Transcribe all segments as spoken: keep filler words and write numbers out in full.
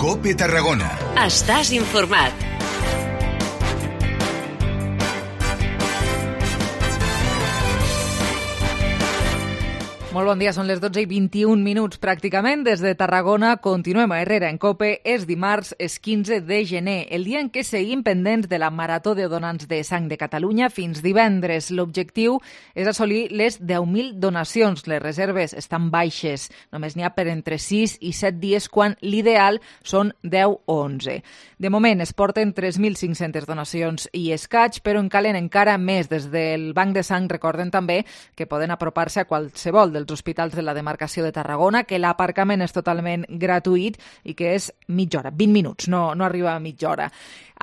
COPE Tarragona. Estàs informat. Molt bon dia, són les dotze i vint-i-un minuts pràcticament. Des de Tarragona continuem a Herrera en COPE. És dimarts, és quinze de gener, el dia en què seguim pendents de la Marató de Donants de Sang de Catalunya fins divendres. L'objectiu és assolir les deu mil donacions. Les reserves estan baixes. Només n'hi ha per entre sis i set dies, quan l'ideal són deu o onze. De moment es porten tres mil cinc-centes donacions i escaig, però en calen encara més. Des del Banc de Sang recorden també que poden apropar-se a qualsevol dels els hospitals de la demarcació de Tarragona, que l'aparcament és totalment gratuït i que és mitja hora, vint minuts, no, no arriba a mitja hora.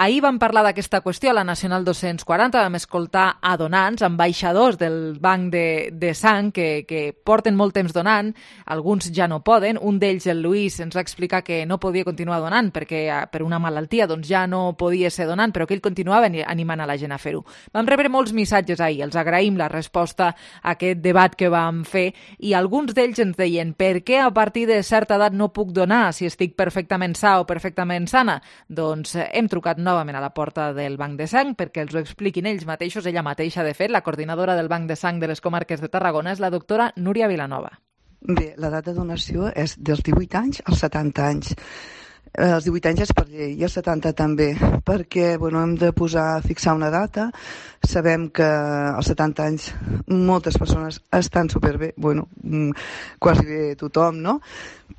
Ahir vam parlar d'aquesta qüestió a la Nacional dos-cents quaranta, vam escoltar a donants, ambaixadors del Banc de, de Sang, que, que porten molt temps donant, alguns ja no poden. Un d'ells, el Lluís, ens va explicar que no podia continuar donant perquè per una malaltia doncs ja no podia ser donant, però que ell continuava animant a la gent a fer-ho. Vam rebre molts missatges ahir, els agraïm la resposta a aquest debat que vam fer, i alguns d'ells ens deien: per què a partir de certa edat no puc donar si estic perfectament sa o perfectament sana? Doncs hem trucat novament a la porta del Banc de Sang perquè els ho expliquin ells mateixos, ella mateixa, de fet. La coordinadora del Banc de Sang de les comarques de Tarragona és la doctora Núria Vilanova. Bé, l'edat de donació és dels divuit anys als setanta anys. Els divuit anys és per llei i els setanta també, perquè bueno, hem de posar, fixar una data. Sabem que als setanta anys moltes persones estan superbé, bueno, quasi bé tothom, no?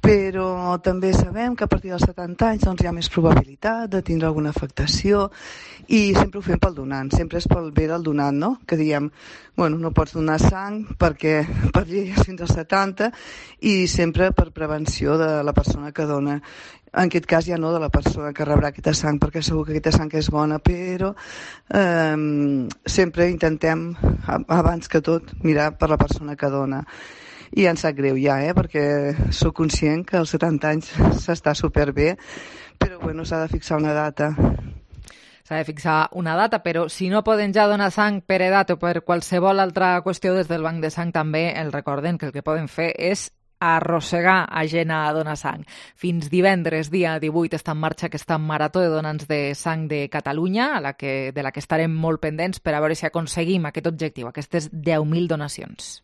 Però també sabem que a partir dels setanta anys doncs, hi ha més probabilitat de tindre alguna afectació, i sempre ho fem pel donant, sempre és pel bé del donant, no? Que diem, bueno, no pots donar sang perquè per llei és fins als setanta, i sempre per prevenció de la persona que dona. En aquest cas ja no de la persona que rebrà aquesta sang, perquè segur que aquesta sang és bona, però eh, sempre intentem, abans que tot, mirar per la persona que dona. I em sap greu ja, eh, perquè sóc conscient que als setanta anys s'està superbé, però bueno, s'ha de fixar una data. S'ha de fixar una data, però si no poden ja donar sang per edat o per qualsevol altra qüestió, des del Banc de Sang també el recorden que el que poden fer és arrossegar a gent a donar sang. Fins divendres, dia divuit, està en marxa aquesta Marató de Donants de Sang de Catalunya, a la que, de la que estarem molt pendents per a veure si aconseguim aquest objectiu, aquestes deu mil donacions.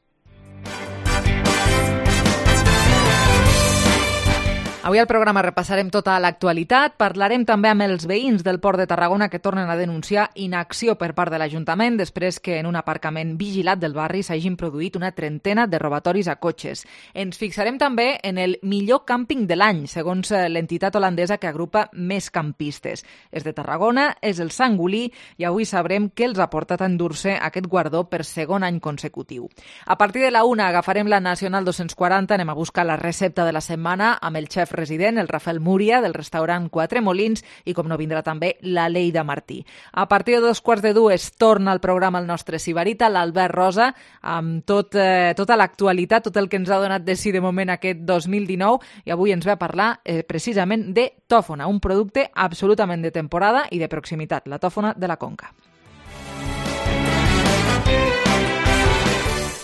Avui al programa repassarem tota l'actualitat, parlarem també amb els veïns del Port de Tarragona que tornen a denunciar inacció per part de l'Ajuntament després que en un aparcament vigilat del barri s'hagin produït una trentena de robatoris a cotxes. Ens fixarem també en el millor càmping de l'any, segons l'entitat holandesa que agrupa més campistes. És de Tarragona, és el Sangolí, i avui sabrem què els ha portat a endur-se aquest guardó per segon any consecutiu. A partir de la una agafarem la Nacional dos-cents quaranta, anem a buscar la recepta de la setmana amb el xef resident, el Rafael Múria, del restaurant Quatre Molins, i com no vindrà també la Leida Martí. A partir de dos quarts de dues torna al programa el nostre Sibarita, l'Albert Rosa, amb tot, eh, tota l'actualitat, tot el que ens ha donat de si de moment aquest dos mil dinou, i avui ens ve a parlar eh, precisament de tòfona, un producte absolutament de temporada i de proximitat, la tòfona de la Conca.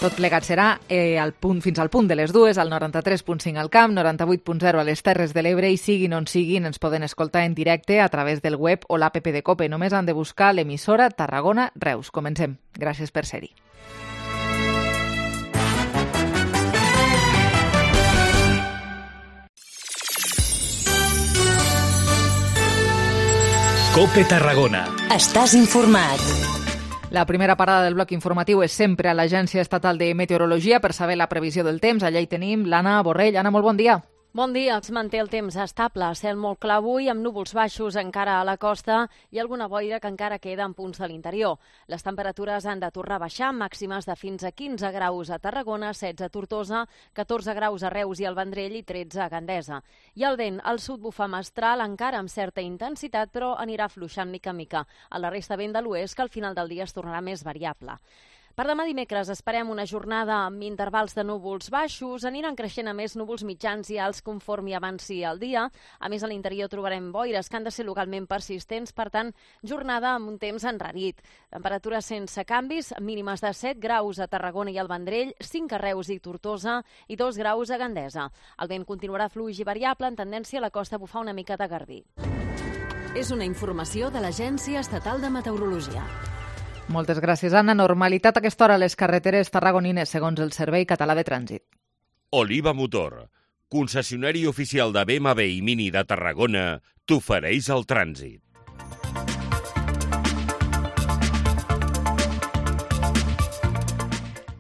Tot plegat serà eh, al punt, fins al punt de les dues, al noranta-tres punt cinc al Camp, noranta-vuit punt zero a les Terres de l'Ebre, i siguin on siguin ens poden escoltar en directe a través del web o l'app de COPE. Només han de buscar l'emissora Tarragona Reus. Comencem. Gràcies per ser-hi. COPE Tarragona. Estàs informat. La primera parada del bloc informatiu és sempre a l'Agència Estatal de Meteorologia per saber la previsió del temps. Allà hi tenim l'Anna Borrell. Anna, molt bon dia. Bon dia, es manté el temps estable, cel molt clar avui, amb núvols baixos encara a la costa i alguna boira que encara queda en punts de l'interior. Les temperatures han de tornar a baixar, màximes de fins a quinze graus a Tarragona, setze a Tortosa, catorze graus a Reus i al Vendrell i tretze a Gandesa. I el vent al sud bufa mestral, encara amb certa intensitat, però anirà fluixant mica en mica. A la resta vent de l'oest, que al final del dia es tornarà més variable. Per demà dimecres esperem una jornada amb intervals de núvols baixos, aniran creixent a més núvols mitjans i alts conforme avanci el dia. A més, a l'interior trobarem boires que han de ser localment persistents, per tant, jornada amb un temps enrarit. Temperatures sense canvis, mínimes de set graus a Tarragona i al Vendrell, cinc a Reus i Tortosa i dos graus a Gandesa. El vent continuarà fluix i variable, en tendència a la costa a bufar una mica de garbí. És una informació de l'Agència Estatal de Meteorologia. Moltes gràcies, Anna. Normalitat a aquesta hora a les carreteres tarragonines, segons el Servei Català de Trànsit. Oliva Motor, concessionari oficial de B M W i Mini de Tarragona, t'ofereix el trànsit.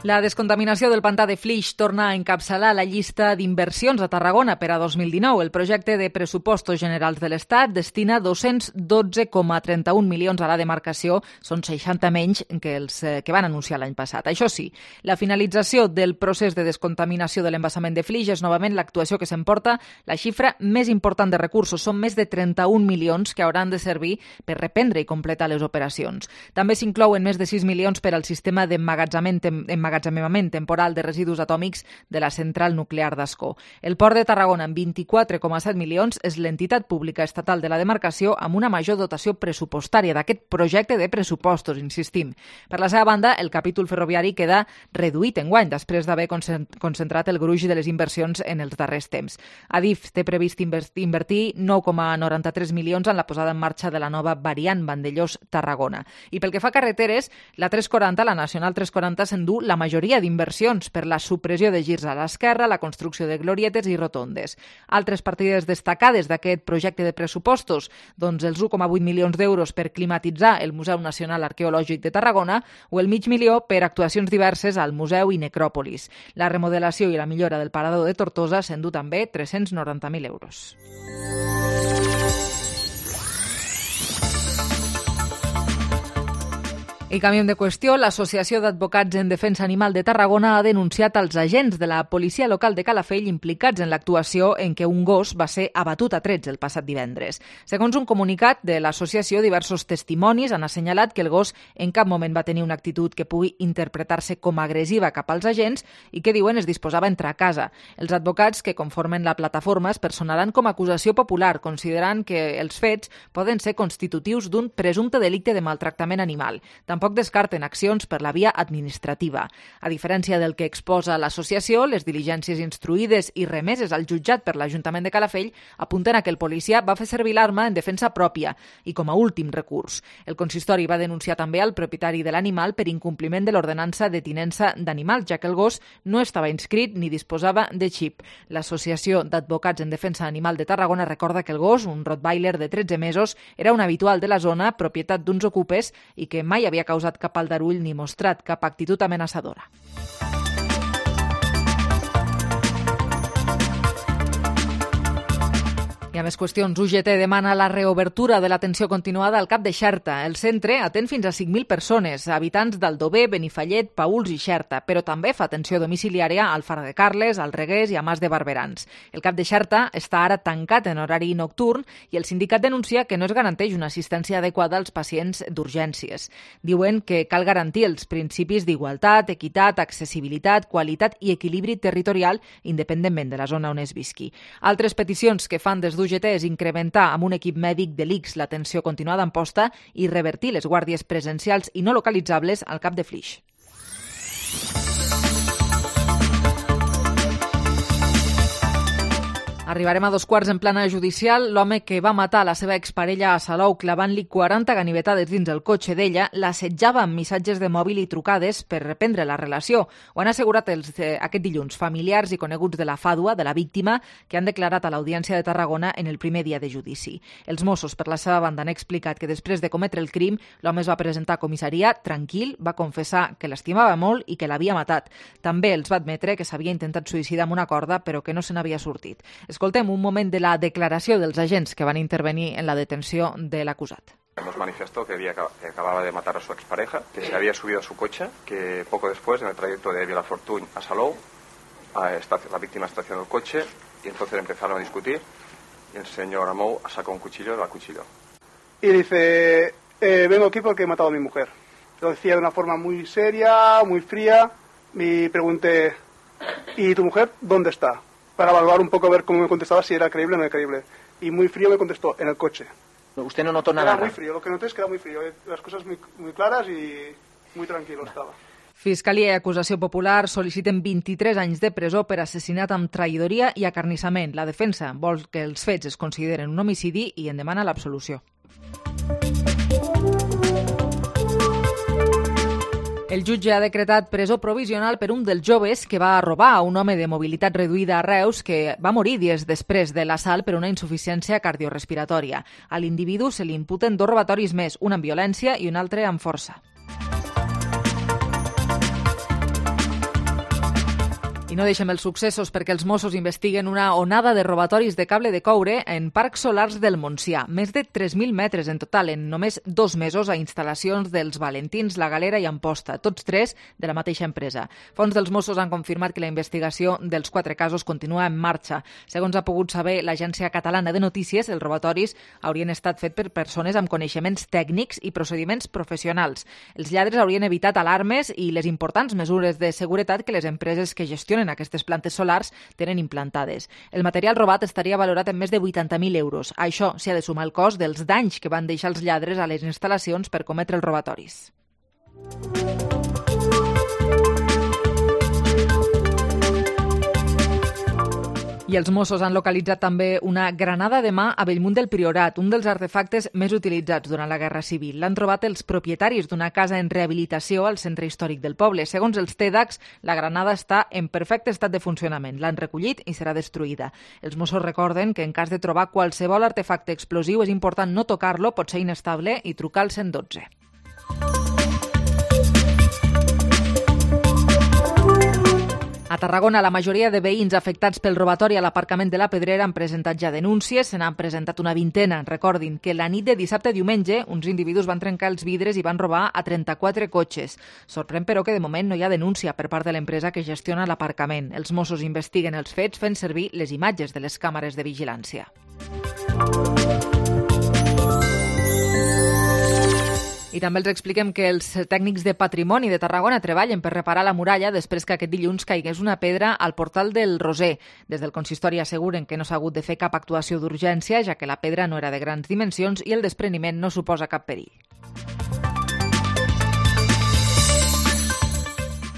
La descontaminació del pantà de Flix torna a encapçalar la llista d'inversions a Tarragona per a dos mil dinou. El projecte de pressupostos generals de l'Estat destina dos-cents dotze coma trenta-un milions a la demarcació, són seixanta menys que els que van anunciar l'any passat. Això sí, la finalització del procés de descontaminació de l'embassament de Flix és novament l'actuació que s'emporta la xifra més important de recursos. Són més de trenta-un milions que hauran de servir per reprendre i completar les operacions. També s'inclouen més de sis milions per al sistema d'emmagatzemament emmagatzemament temporal de residus atòmics de la central nuclear d'Ascó. El Port de Tarragona, amb vint-i-quatre coma set milions, és l'entitat pública estatal de la demarcació amb una major dotació pressupostària d'aquest projecte de pressupostos, insistim. Per la seva banda, el capítol ferroviari queda reduït enguany, després d'haver concentrat el gruix de les inversions en els darrers temps. Adif té previst invertir nou coma noranta-tres milions en la posada en marxa de la nova variant Vandellòs-Tarragona. I pel que fa a carreteres, la tres quaranta, la Nacional tres quaranta, s'endú la majoria d'inversions per la supressió de girs a l'esquerra, la construcció de glorietes i rotondes. Altres partides destacades d'aquest projecte de pressupostos, doncs els u coma vuit milions d'euros per climatitzar el Museu Nacional Arqueològic de Tarragona o el mig milió per actuacions diverses al Museu i Necròpolis. La remodelació i la millora del parador de Tortosa s'endú també tres-cents noranta mil euros. I canviem de qüestió. L'Associació d'Advocats en Defensa Animal de Tarragona ha denunciat als agents de la policia local de Calafell implicats en l'actuació en què un gos va ser abatut a trets el passat divendres. Segons un comunicat de l'associació, diversos testimonis han assenyalat que el gos en cap moment va tenir una actitud que pugui interpretar-se com a agressiva cap als agents i que, diuen, es disposava a entrar a casa. Els advocats que conformen la plataforma es personaran com a acusació popular, considerant que els fets poden ser constitutius d'un presumpte delicte de maltractament animal. Tampoc Tampoc descarten accions per la via administrativa. A diferència del que exposa l'associació, les diligències instruïdes i remeses al jutjat per l'Ajuntament de Calafell apunten a que el policia va fer servir l'arma en defensa pròpia i com a últim recurs. El consistori va denunciar també al propietari de l'animal per incompliment de l'ordenança de tinença d'animals, ja que el gos no estava inscrit ni disposava de xip. L'Associació d'Advocats en Defensa Animal de Tarragona recorda que el gos, un rottweiler de tretze mesos, era un habitual de la zona, propietat d'uns ocupes i que mai havia causat cap aldarull ni mostrat cap actitud amenaçadora. I a més qüestions, U G T demana la reobertura de l'atenció continuada al Cap de Xerta. El centre atén fins a cinc mil persones, habitants d'Aldover, Benifallet, Paüls i Xerta, però també fa atenció domiciliària al Far de Carles, al Reguers i a Mas de Barberans. El Cap de Xerta està ara tancat en horari nocturn i el sindicat denuncia que no es garanteix una assistència adequada als pacients d'urgències. Diuen que cal garantir els principis d'igualtat, equitat, accessibilitat, qualitat i equilibri territorial independentment de la zona on es visqui. Altres peticions que fan des d'U G T és incrementar amb un equip mèdic de l'I C S l'atenció continuada en posta i revertir les guàrdies presencials i no localitzables al Cap de Flix. Arribarem a dos quarts en plana judicial. L'home que va matar la seva exparella a Salou clavant-li quaranta ganivetades dins el cotxe d'ella l'assetjava amb missatges de mòbil i trucades per reprendre la relació. Ho han assegurat els, eh, aquest dilluns familiars i coneguts de la fàdua, de la víctima, que han declarat a l'Audiència de Tarragona en el primer dia de judici. Els Mossos, per la seva banda, han explicat que després de cometre el crim, l'home es va presentar a comissaria tranquil, va confessar que l'estimava molt i que l'havia matat. També els va admetre que s'havia intentat suïcidar amb una corda, però que no se n'havia sortit. Escoltem un moment de la declaració dels agents que van intervenir en la detenció de l'acusat. Nos manifestó que, había, que acababa de matar a su expareja, que se había subido a su coche, que poco después, en el trayecto de Vilafortuny a Salou, a esta, la víctima estacionó el coche y entonces empezaron a discutir y el señor Amou sacó un cuchillo y la acuchilló. Y dice, eh, vengo aquí porque he matado a mi mujer. Lo decía de una forma muy seria, muy fría. Me pregunté, ¿y tu mujer dónde está? Para evaluar un poco, a ver cómo me contestaba, si era creíble o no era creíble. Y muy frío me contestó, en el coche. ¿Usted no notó nada? Era muy frío, lo que noté es que era muy frío. Las cosas muy, muy claras y muy tranquilo estaba. Fiscalia i acusació popular sol·liciten vint-i-tres anys de presó per assassinat amb traïdoria i acarnissament. La defensa vol que els fets es consideren un homicidi i en demana l'absolució. El jutge ha decretat presó provisional per un dels joves que va robar a un home de mobilitat reduïda a Reus que va morir dies després de l'assalt per una insuficiència cardiorespiratòria. A l'individu se li imputen dos robatoris més, un amb violència i un altre amb força. I no deixem els successos perquè els Mossos investiguen una onada de robatoris de cable de coure en parcs solars del Montsià. Més de tres mil metres en total en només dos mesos a instal·lacions dels Valentins, La Galera i Amposta, tots tres de la mateixa empresa. Fons dels Mossos han confirmat que la investigació dels quatre casos continua en marxa. Segons ha pogut saber l'Agència Catalana de Notícies, els robatoris haurien estat fets per persones amb coneixements tècnics i procediments professionals. Els lladres haurien evitat alarmes i les importants mesures de seguretat que les empreses que gestionen aquestes plantes solars tenen implantades. El material robat estaria valorat en més de vuitanta mil euros. A això s'hi ha de sumar el cost dels danys que van deixar els lladres a les instal·lacions per cometre els robatoris. I els Mossos han localitzat també una granada de mà a Bellmunt del Priorat, un dels artefactes més utilitzats durant la Guerra Civil. L'han trobat els propietaris d'una casa en rehabilitació al centre històric del poble. Segons els TEDx, la granada està en perfecte estat de funcionament. L'han recollit i serà destruïda. Els Mossos recorden que en cas de trobar qualsevol artefacte explosiu és important no tocar-lo, pot ser inestable, i trucar al cent dotze. A Tarragona, la majoria de veïns afectats pel robatori a l'aparcament de la Pedrera han presentat ja denúncies, se n'han presentat una vintena. Recordin que la nit de dissabte a diumenge uns individus van trencar els vidres i van robar a trenta-quatre cotxes. Sorprèn, però, que de moment no hi ha denúncia per part de l'empresa que gestiona l'aparcament. Els Mossos investiguen els fets fent servir les imatges de les càmeres de vigilància. I també els expliquem que els tècnics de patrimoni de Tarragona treballen per reparar la muralla després que aquest dilluns caigués una pedra al portal del Roser. Des del consistori asseguren que no s'ha hagut de fer cap actuació d'urgència, ja que la pedra no era de grans dimensions i el despreniment no suposa cap perill.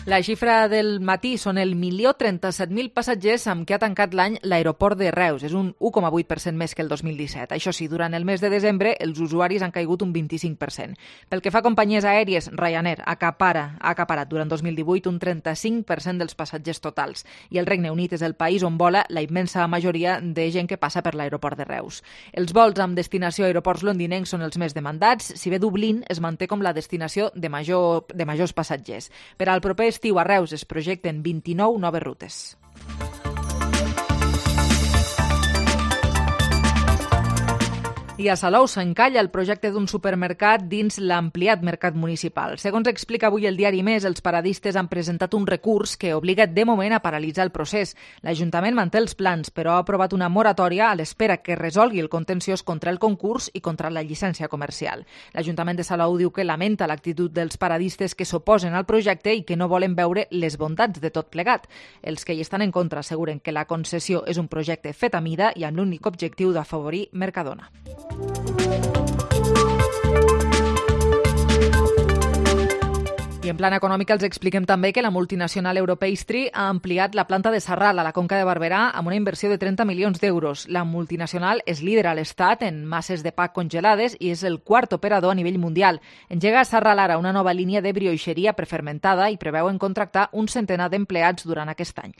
La xifra del matí són el milió trenta-set mil passatgers amb què ha tancat l'any l'aeroport de Reus. És un u coma vuit per cent més que el dos mil disset. Això sí, durant el mes de desembre els usuaris han caigut un vint-i-cinc per cent. Pel que fa a companyies aèries, Ryanair acapara, ha acaparat durant dos mil divuit un trenta-cinc per cent dels passatgers totals. I el Regne Unit és el país on vola la immensa majoria de gent que passa per l'aeroport de Reus. Els vols amb destinació a aeroports londinencs són els més demandats, si bé Dublín es manté com la destinació de, major, de majors passatgers. Per al proper estiu a Reus es projecten vint-i-nou noves rutes. I a Salou s'encalla el projecte d'un supermercat dins l'ampliat mercat municipal. Segons explica avui el diari Més, els paradistes han presentat un recurs que obliga de moment a paralitzar el procés. L'Ajuntament manté els plans, però ha aprovat una moratòria a l'espera que resolgui el contenciós contra el concurs i contra la llicència comercial. L'Ajuntament de Salou diu que lamenta l'actitud dels paradistes que s'oposen al projecte i que no volen veure les bondats de tot plegat. Els que hi estan en contra asseguren que la concessió és un projecte fet a mida i amb l'únic objectiu d'afavorir Mercadona. I en plan econòmic els expliquem també que la multinacional Europastry ha ampliat la planta de Sarral a la Conca de Barberà amb una inversió de trenta milions d'euros. La multinacional és líder a l'estat en masses de pa congelades i és el quart operador a nivell mundial. Engega a Sarral ara una nova línia de brioixeria prefermentada i preveuen contractar un centenar d'empleats durant aquest any.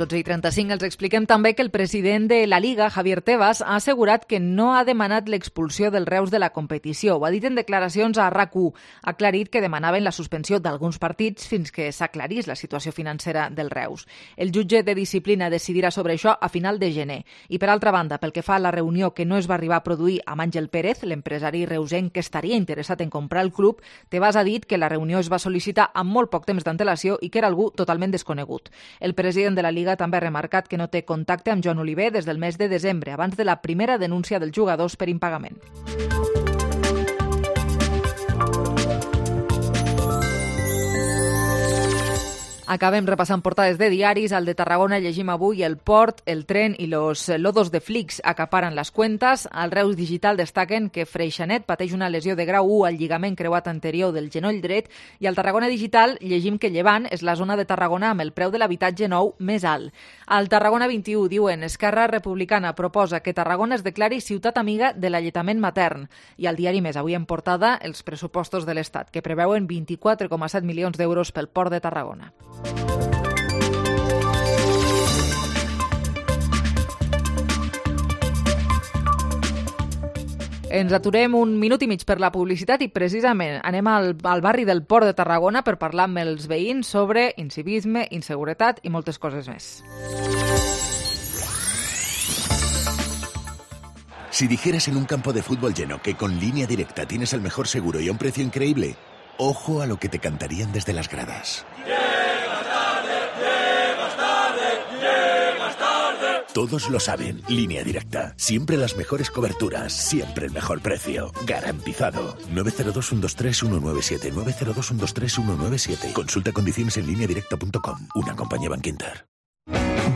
dotze i trenta-cinc els expliquem també que el president de la Liga, Javier Tebas, ha assegurat que no ha demanat l'expulsió del Reus de la competició. Ho ha dit en declaracions a RAC u. Ha aclarit que demanaven la suspensió d'alguns partits fins que s'aclarís la situació financera del Reus. El jutge de disciplina decidirà sobre això a final de gener. I per altra banda, pel que fa a la reunió que no es va arribar a produir amb Àngel Pérez, l'empresari reusenc que estaria interessat en comprar el club, Tebas ha dit que la reunió es va sol·licitar amb molt poc temps d'antelació i que era algú totalment desconegut. El president de la Liga Lliga també ha remarcat que no té contacte amb Joan Oliver des del mes de desembre, abans de la primera denúncia dels jugadors per impagament. Acabem repassant portades de diaris. Al de Tarragona llegim avui el port, el tren i los lodos de Flix acaparen les cuentes. Al Reus Digital destaquen que Freixanet pateix una lesió de grau u al lligament creuat anterior del genoll dret i al Tarragona Digital llegim que Llevant és la zona de Tarragona amb el preu de l'habitatge nou més alt. Al Tarragona vint-i-u diuen Esquerra Republicana proposa que Tarragona es declari ciutat amiga de l'alletament matern. I al diari Més avui en portada els pressupostos de l'Estat que preveuen vint-i-quatre coma set milions d'euros pel port de Tarragona. Ens aturem un minut i mig per la publicitat i precisament anem al, al barri del Port de Tarragona per parlar amb els veïns sobre incivisme, inseguretat i moltes coses més. Si dijeras en un campo de fútbol lleno que con Línea Directa tienes el mejor seguro y a un precio increíble, ojo a lo que te cantarían desde las gradas. Todos lo saben, Línea Directa. Siempre las mejores coberturas, siempre el mejor precio. Garantizado. nueve cero dos, uno dos tres, uno nueve siete, nueve cero dos, uno dos tres, uno nueve siete. Consulta condiciones en línea directa punto com. Una compañía Bankinter.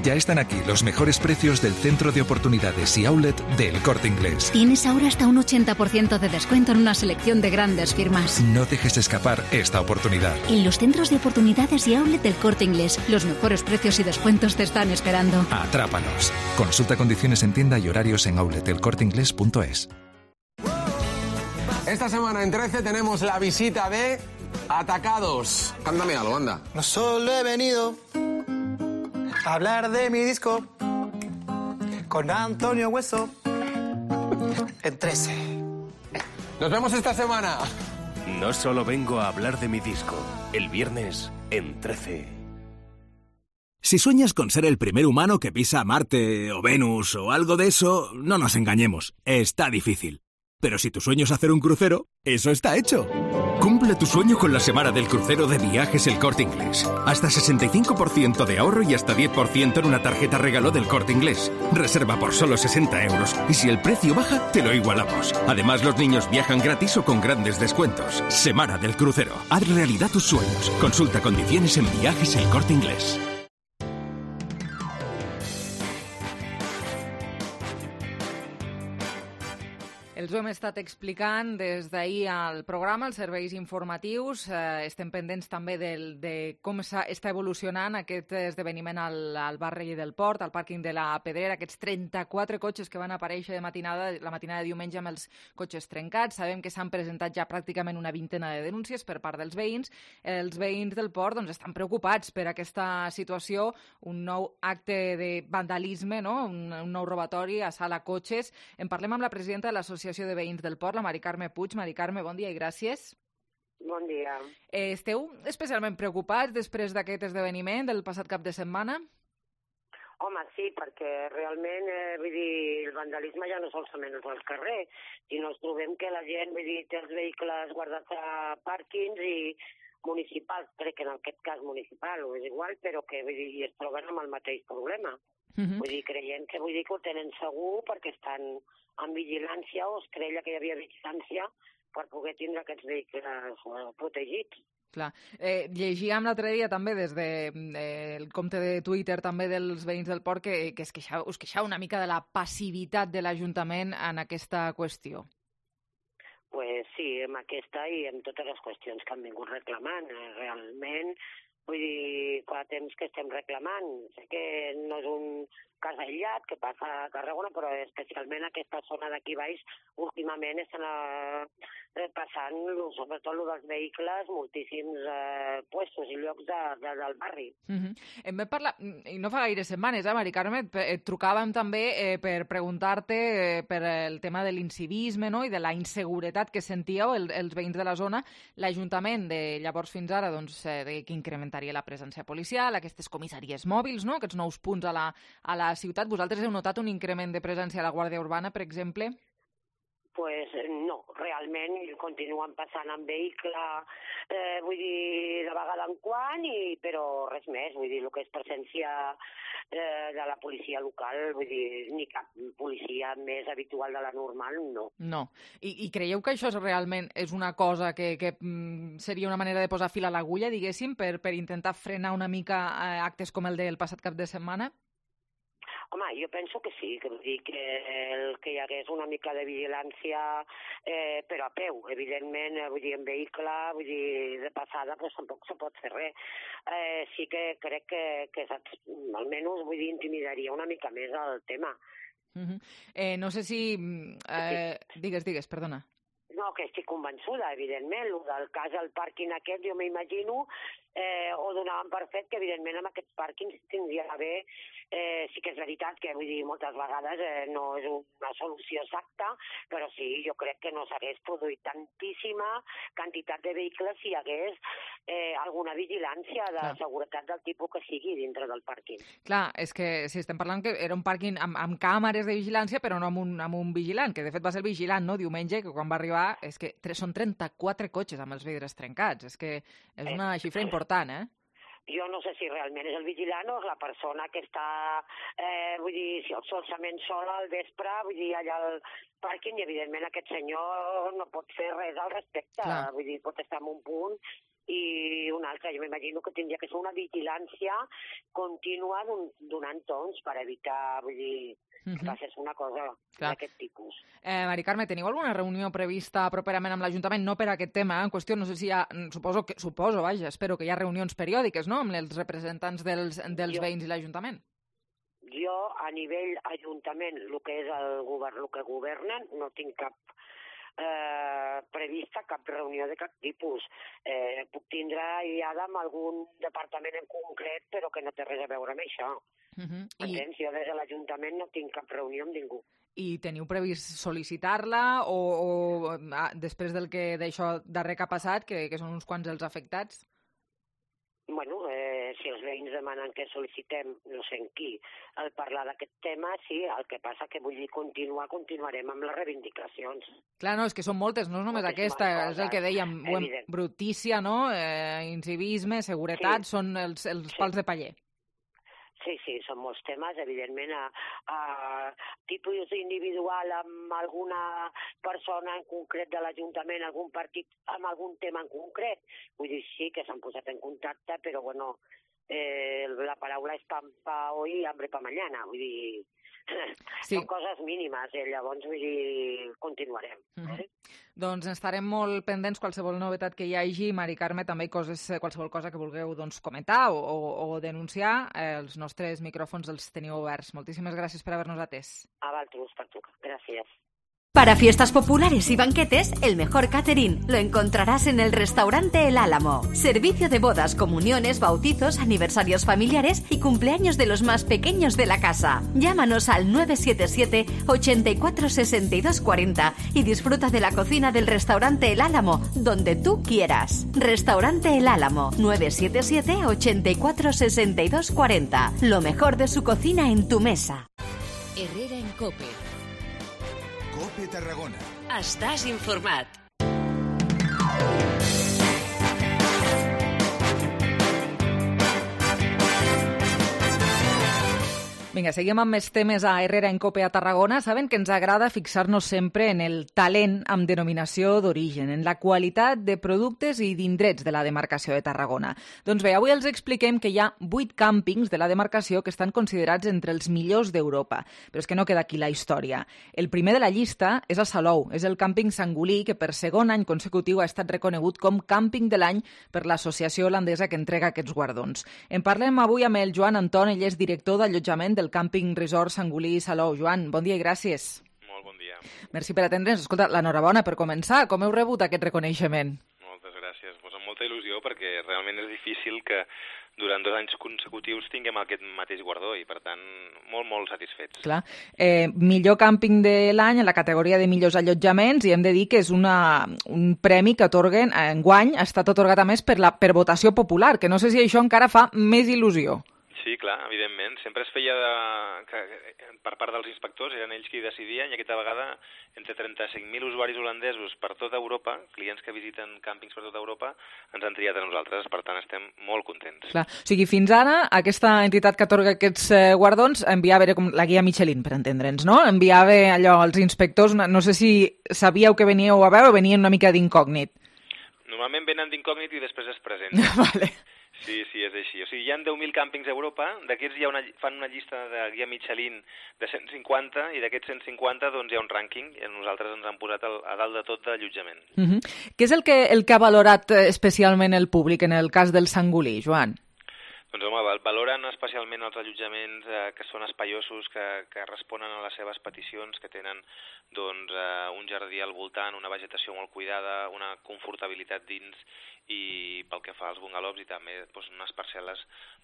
Ya están aquí los mejores precios del centro de oportunidades y outlet del Corte Inglés. Tienes ahora hasta un ochenta por ciento de descuento en una selección de grandes firmas. No dejes escapar esta oportunidad. En los centros de oportunidades y outlet del Corte Inglés, los mejores precios y descuentos te están esperando. Atrápalos. Consulta condiciones en tienda y horarios en outlet el corte inglés punto es. Esta semana en trece tenemos la visita de Atacados. Cántame algo, anda. No solo he venido a hablar de mi disco con Antonio Hueso en trece. Nos vemos esta semana. No solo vengo a hablar de mi disco. El viernes en trece. Si sueñas con ser el primer humano que pisa Marte o Venus o algo de eso, no nos engañemos, está difícil. Pero si tu sueño es hacer un crucero, eso está hecho. Cumple tu sueño con la semana del crucero de Viajes El Corte Inglés. Hasta sesenta y cinco por ciento de ahorro y hasta diez por ciento en una tarjeta regalo del Corte Inglés. Reserva por solo sesenta euros y si el precio baja, te lo igualamos. Además, los niños viajan gratis o con grandes descuentos. Semana del crucero. Haz realidad tus sueños. Consulta condiciones en Viajes El Corte Inglés. Els ho hem estat explicant des d'ahir al programa, els serveis informatius. Eh, estem pendents també del, de com està evolucionant aquest esdeveniment al, al barri del Port, al pàrquing de la Pedrera, aquests trenta-quatre cotxes que van aparèixer de matinada, la matinada de diumenge amb els cotxes trencats. Sabem que s'han presentat ja pràcticament una vintena de denúncies per part dels veïns. Els veïns del Port doncs, estan preocupats per aquesta situació, un nou acte de vandalisme, no? un, un nou robatori a sala cotxes. En parlem amb la presidenta de l'Associació de Veïns del Port, la Mari Carme Puig. Mari Carme, bon dia i gràcies. Bon dia. Eh, esteu especialment preocupats després d'aquest esdeveniment del passat cap de setmana? Home, sí, perquè realment, eh, vull dir, el vandalisme ja no solament és al carrer, sinó ens trobem que la gent, vull dir, té els vehicles guardats a pàrquings i municipals, crec que en aquest cas municipal o és igual, però que vull dir, es troben amb el mateix problema. Uh-huh. Vull dir, creient que vull dir que ho tenen segur perquè estan en vigilància o es creia que hi havia vigilància per poder tindre aquests vehicles eh, protegits. Clar. Eh, llegíem l'altre dia també des del de, eh, compte de Twitter també dels veïns del Port que, que es queixau, us queixau una mica de la passivitat de l'Ajuntament en aquesta qüestió. Pues sí, amb aquesta i amb totes les qüestions que han vingut reclamant. Eh, realment, vull dir, fa temps que estem reclamant. Sé que no és un cas aïllat que passa a Tarragona, però especialment aquesta zona d'aquí baix últimament estan eh, passant, sobretot el dels vehicles, moltíssims eh, puestos i llocs de, de, del barri. Uh-huh. Em vam parlar, i no fa gaire setmanes, eh, Mari Carme, et trucàvem també eh, per preguntar-te eh, per el tema de l'incivisme, no?, i de la inseguretat que sentíeu el, els veïns de la zona. L'Ajuntament de llavors fins ara doncs, eh, que incrementaria la presència policial, aquestes comissaries mòbils, no?, aquests nous punts a la, a la ciutat. Vosaltres heu notat un increment de presència a la Guàrdia Urbana, per exemple? Pues no, realment continuen passant en vehicle, eh, vull dir, de vegada en quan, i, però res més, vull dir, el que és presència eh, de la policia local, vull dir, ni cap policia més habitual de la normal, no. No. I, i creieu que això és realment és una cosa que, que mm, seria una manera de posar fil a l'agulla, diguéssim, per, per intentar frenar una mica eh, actes com el del passat cap de setmana? Home, jo penso que sí, que vull dir que, el, que hi hagués una mica de vigilància, eh, però a peu, evidentment, vull dir, en vehicle, vull dir, de passada, doncs tampoc se pot fer res. Eh, sí que crec que, que saps, almenys, vull dir, intimidaria una mica més el tema. Uh-huh. eh, no sé si... Eh, digues, digues, perdona. No, que estic convençuda, evidentment. El del cas del pàrquing aquest, jo m'imagino, eh, ho donaven per fet que, evidentment, amb aquests pàrquings tindria d'haver... Eh, sí que és veritat que, vull dir, moltes vegades eh, no és una solució exacta, però sí, jo crec que no s'hagués produït tantíssima quantitat de vehicles si hi hagués eh, alguna vigilància de Clar. seguretat del tipus que sigui dintre del pàrquing. Clar, és que si estem parlant que era un pàrquing amb, amb càmeres de vigilància, però no amb un, amb un vigilant, que de fet va ser el vigilant, no?, diumenge, que quan va arribar, és que són trenta-quatre cotxes amb els vidres trencats, és que és una xifra important, eh? Jo no sé si realment és el vigilant o és la persona que està, eh, vull dir, si solament sola al vespre, vull dir, allà al pàrquing, i evidentment aquest senyor no pot fer res al respecte, Clar. vull dir, pot estar en un punt i un altre. Jo m'imagino que tindria que ser una vigilància contínua donant tons per evitar, vull dir, que passés una cosa d'aquest tipus. Eh, Mari Carme, teniu alguna reunió prevista properament amb l'Ajuntament? No per aquest tema, en qüestió, no sé si hi ha, suposo, que, suposo, vaja, espero que hi ha reunions periòdiques, no?, amb els representants dels, dels jo, veïns i l'Ajuntament. Jo, a nivell Ajuntament, el que és el govern, el que governen, no tinc cap Eh, prevista cap reunió de cap tipus. Eh, puc tindre aïllada amb algun departament en concret, però que no té res a veure amb això. Uh-huh. Entens? I... Jo des de l'Ajuntament no tinc cap reunió amb ningú. I teniu previst sol·licitar-la o, o ah, després del que d'això darrer que ha passat, que, que són uns quants els afectats? Bueno, eh, si els veïns demanen que sol·licitem, no sé en qui, al parlar d'aquest tema, sí, el que passa que vull dir continuar, continuarem amb les reivindicacions. Clar, no, és que són moltes, no és només Moltíssimes aquesta, coses. És el que dèiem, Evident. brutícia, no?, eh, incivisme, seguretat, sí. són els, els sí. pals de paller. Sí, sí, són molts temes, evidentment, a, a tipus individual amb alguna persona en concret de l'Ajuntament, algun partit amb algun tema en concret. Vull dir, sí que s'han posat en contacte, però, bueno, eh, la paraula és pan pa hoy y hambre pa mañana. Vull dir, sí. són coses mínimes, eh? Llavors, vull dir, continuarem. Mm-hmm. eh? Doncs estarem molt pendents qualsevol novetat que hi hagi. Mari Carme, també coses, qualsevol cosa que vulgueu doncs, comentar o, o, o denunciar, eh, els nostres micròfons els teniu oberts. Moltíssimes gràcies per haver-nos atès. A vosaltres, per tu. Gràcies. Para fiestas populares y banquetes, el mejor catering lo encontrarás en el restaurante El Álamo. Servicio de bodas, comuniones, bautizos, aniversarios familiares y cumpleaños de los más pequeños de la casa. Llámanos al nueve siete siete, ochenta y cuatro, sesenta y dos cuarenta y disfruta de la cocina del restaurante El Álamo, donde tú quieras. Restaurante El Álamo, nueve siete siete, ochenta y cuatro, sesenta y dos cuarenta. Lo mejor de su cocina en tu mesa. Herrera en COPE. COPE Tarragona. Estàs informat. Vinga, seguim amb més temes a Herrera en COPE a Tarragona. Saben que ens agrada fixar-nos sempre en el talent amb denominació d'origen, en la qualitat de productes i d'indrets de la demarcació de Tarragona. Doncs bé, avui els expliquem que hi ha vuit càmpings de la demarcació que estan considerats entre els millors d'Europa. Però és que no queda aquí la història. El primer de la llista és a Salou. És el càmping Sangolí, que per segon any consecutiu ha estat reconegut com càmping de l'any per l'associació holandesa que entrega aquests guardons. En parlem avui amb el Joan Anton, ell és director d'allotjament del Càmping Resort Sangolí Salou. Joan, bon dia i gràcies. Molt bon dia. Merci per atendre'ns. Escolta, l'enhorabona per començar. Com heu rebut aquest reconeixement? Moltes gràcies. Pues amb molta il·lusió, perquè realment és difícil que durant dos anys consecutius tinguem aquest mateix guardó i, per tant, molt, molt satisfets. Clar. Eh, millor càmping de l'any en la categoria de millors allotjaments i hem de dir que és una, un premi que atorguen enguany, ha estat atorgat a més per, la, per votació popular, que no sé si això encara fa més il·lusió. Sí, Sí, clar, evidentment. Sempre es feia de... que per part dels inspectors, eren ells qui decidien, i aquesta vegada entre trenta-cinc mil usuaris holandesos per tota Europa, clients que visiten càmpings per tota Europa, ens han triat a nosaltres, per tant estem molt contents. Clar. O sigui, fins ara aquesta entitat que atorga aquests eh, guardons enviava com la guia Michelin, per entendre'ns, no? Enviava allò als inspectors, no sé si sabíeu que veníeu a veure o venien una mica d'incògnit. Normalment venen d'incògnit i després es presenten. Vale. Sí, sí, és així. O sigui, hi ha deu mil càmpings a Europa, d'aquests hi ha una, fan una llista de guia Michelin de cent cinquanta, i d'aquests cent cinquanta doncs, hi ha un rànquing, i nosaltres ens han posat al, a dalt de tot d'allotjament. Uh-huh. Què és el que, el que ha valorat especialment el públic en el cas del Sangolí, Joan? Doncs home, valoren especialment els allotjaments eh, que són espaiosos, que, que responen a les seves peticions, que tenen doncs, eh, un jardí al voltant, una vegetació molt cuidada, una confortabilitat dins, i pel que fa als bungalows i també doncs, unes parcel·les